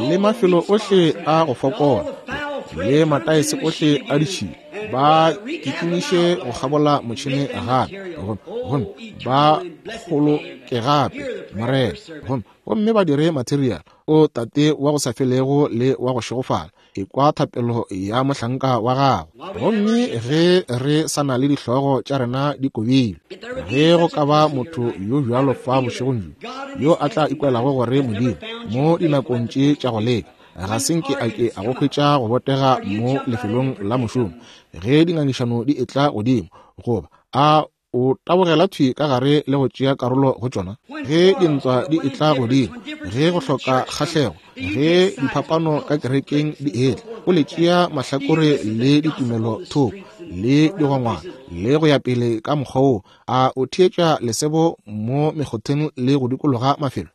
le mafelo ohle a go fokola le mataese ohle a ditšhila. Ba kitimiše go kgabola motšhene gape, gomme ba kgoloke gape, Morena, gomme gomme ba dire material. O Tate wa go sa felego le wa go šegofala, ekwa thapelo ya mohlanka wa gago. Gomme ge re sa na le dihlogo tša rena di kobile, ge go ka ba motho yo bjalo fa bošegong bjo yo a tla ikwelago gore Modimo mo dinakong tše tša go leka ga se nke a ke a go hwetša go botega mo lefelong la mošomo, ge dingangišano di etla godimo, goba a o tabogela thwi ka gare le go tšea karolo go tšona, ge dintwa di etla godimo, ge go hloka kgahlego, ge diphapano ka kerekeng di etla, o le tšea mahlakore le ditumelo thoko le digongwana le go ya pele ka mokgwa wo, a o theetša lesebo mo mekgotheng le go dikologa mafelo.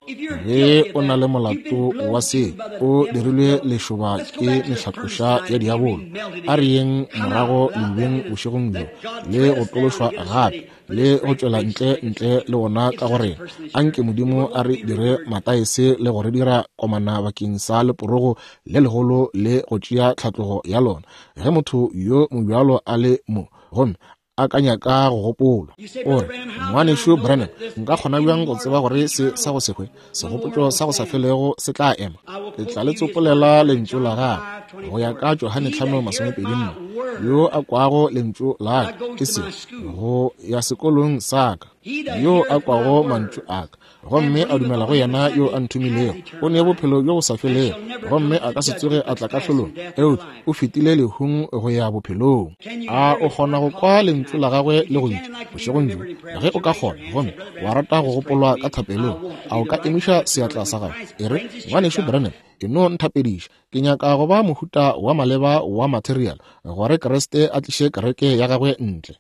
Ge o na le molato wa se, o dirilwe lešoba ke mehlatloša ya diabolo. A re yeng morago ledibeng bošegong bjo le go tološwa gape le go tšwela ntle ntle le ona ka gore anke Modimo a re dire mataese le go re dira komana bakeng sa leporogo le legolo le go tšea tlhatlogo ya lona. Ge motho yo mobjalo a le mo, gomme a ka nyaka go gopola, o re, Ngwanešu Branham, nka kgona bjang go tseba gore se sa go se hwe, segopotšo sa go sa felego se tla ema? Ke tla le tsopolela lentšu la gagwe. Go ya ka Johane hlano masomepedi nne, yo a kwago lentšu la ka, e se go ya sekolong sa ka, yo a kwago mantšu a ka gomme a dumela go yena yo a nthomilego, o ne bophelo bjo bo sa felego, gomme a ka se tsoge a tla kahlolong, eupša o fetile lehung go ya bophelong. A o kgona go kwa lentšu la gagwe le go bitša bošegong bjo? Ge o ka kgona gomme wa rata go gopolwa ka thapelong, a o ka emiša seatla sa gago e re, Ngwanešu Branham, ke no nthapediša, ke nyaka go ba mohuta wa maleba wa material gore Kriste a tliše kereke ya gagwe ntle,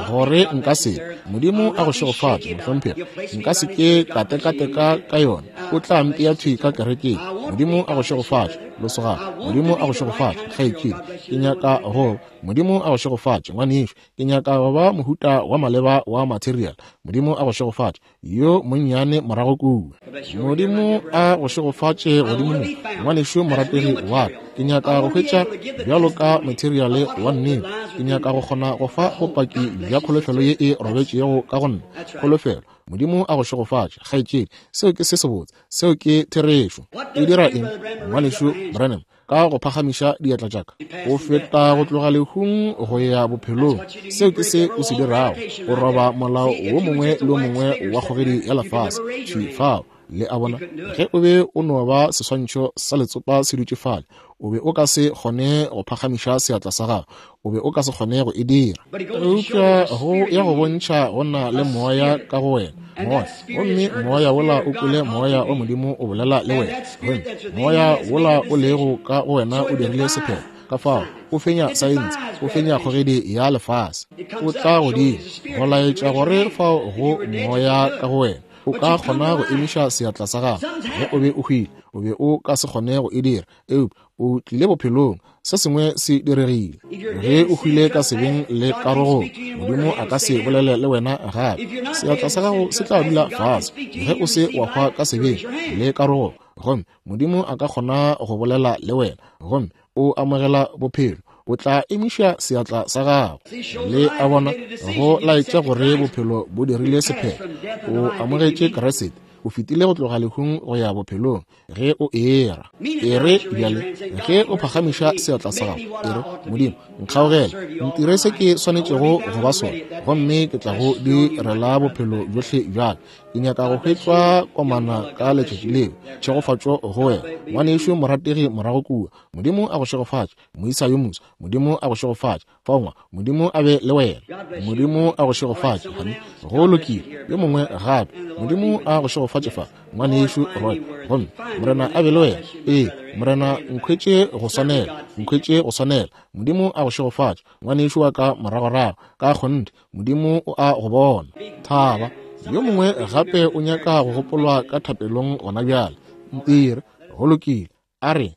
gore nka se, Modimo a go šegofatše mohlomphegi, nka se ke ka tekateka ka yona, o tla mpea thwi ka kerekeng. Modimo a go šegofatše lesogana, Modimo a go šegofatše kgaetšedi, ke nyaka go, Modimo a go šegofatše ngwanešu, ke nyaka go ba mohuta wa maleba wa material. Modimo a go šegofatše yo monnyane morago kua. Modimo a go šegofatše godimo mo, ngwanešu morategi wa ka, ke nyaka go hwetša bjalo ka materiale wa nnete, ke nyaka go kgona go fa bopaki bja kholofelo ye e robetšego ka go nna. Kholofelo. Modimo a go šegofatše kgaetšedi, seo ke se sebotse, seo ke therešo. E dira eng, ngwanešu Branham? Ka go phagamiša diatla tša ka, o feta go tloga lehung go ya bophelong. Seo ke se o se dirago, o roba molao wo mongwe le wo mongwe wa kgogedi ya lefase thwi fao. Le a bona, ge o be o no ba seswantšho sa letsopa se dutše fale, o be o ka se kgone go phagamiša seatla sa gago, o be o ka se kgone go e dira. Eupša go ya go bontšha go na le moya ka go wena, moya, gomme moya wola o kwele moya wa Modimo o bolela le wena, gomme moya wola o lego ka go wena o dirile sephetho. Ka fao o fenya saense, o fenya kgogedi ya lefase, o tla godimo go laetša gore fao go moya ka go wena. O ka kgona go emiša seatla sa gago. Ge o be o hwile, o be o ka se kgone go e dira, eupša o tlile bophelong, se sengwe se diregile. Ge o hwile ka sebeng le karogong, Modimo a ka se bolele le wena gape. Seatla sa gago se tla dula fase ge o se wa hwa ka sebeng le karogong, gomme Modimo a ka kgona go bolela le wena, gomme o amogela bophelo. O tla emiša seatla sa gago. Le a bona, go laetša gore bophelo bo dirile sephetho. O amogetše Kriste, o fetile go tloga lehung go ya bophelong ge o era. E re bjale, ge o phagamiša seatla sa gago, e re, Modimo, nkgaogele, ntire se ke swanetšego go ba sona, gomme ke tla go direla bophelo bjohle bjaka. Ke nyaka go hwetšwa komana ka letšatši leo. Tšhegofatšo go wena, ngwanešu morategi morago kua. Modimo a go šegofatše, moisa yo moswa. Modimo a go šegofatše. Fongwa, Modimo a be le wena. Modimo a go šegofatše, honey. Go lokile. Yo mongwe gape. Modimo a go šegofatše fa, ngwanešu Roy. Gomme Morena a be le wena. Ee, Morena, nkhwetše go swanela, nkhwetše go swanela. Modimo a go šegofatše, ngwanešu wa ka moragorago. Ka kgonthe, Modimo o a go bona. Thaba. Yo mongwe gape o nyaka go gopolwa ka thapelong gona bjale. Ntire, go lokile. A re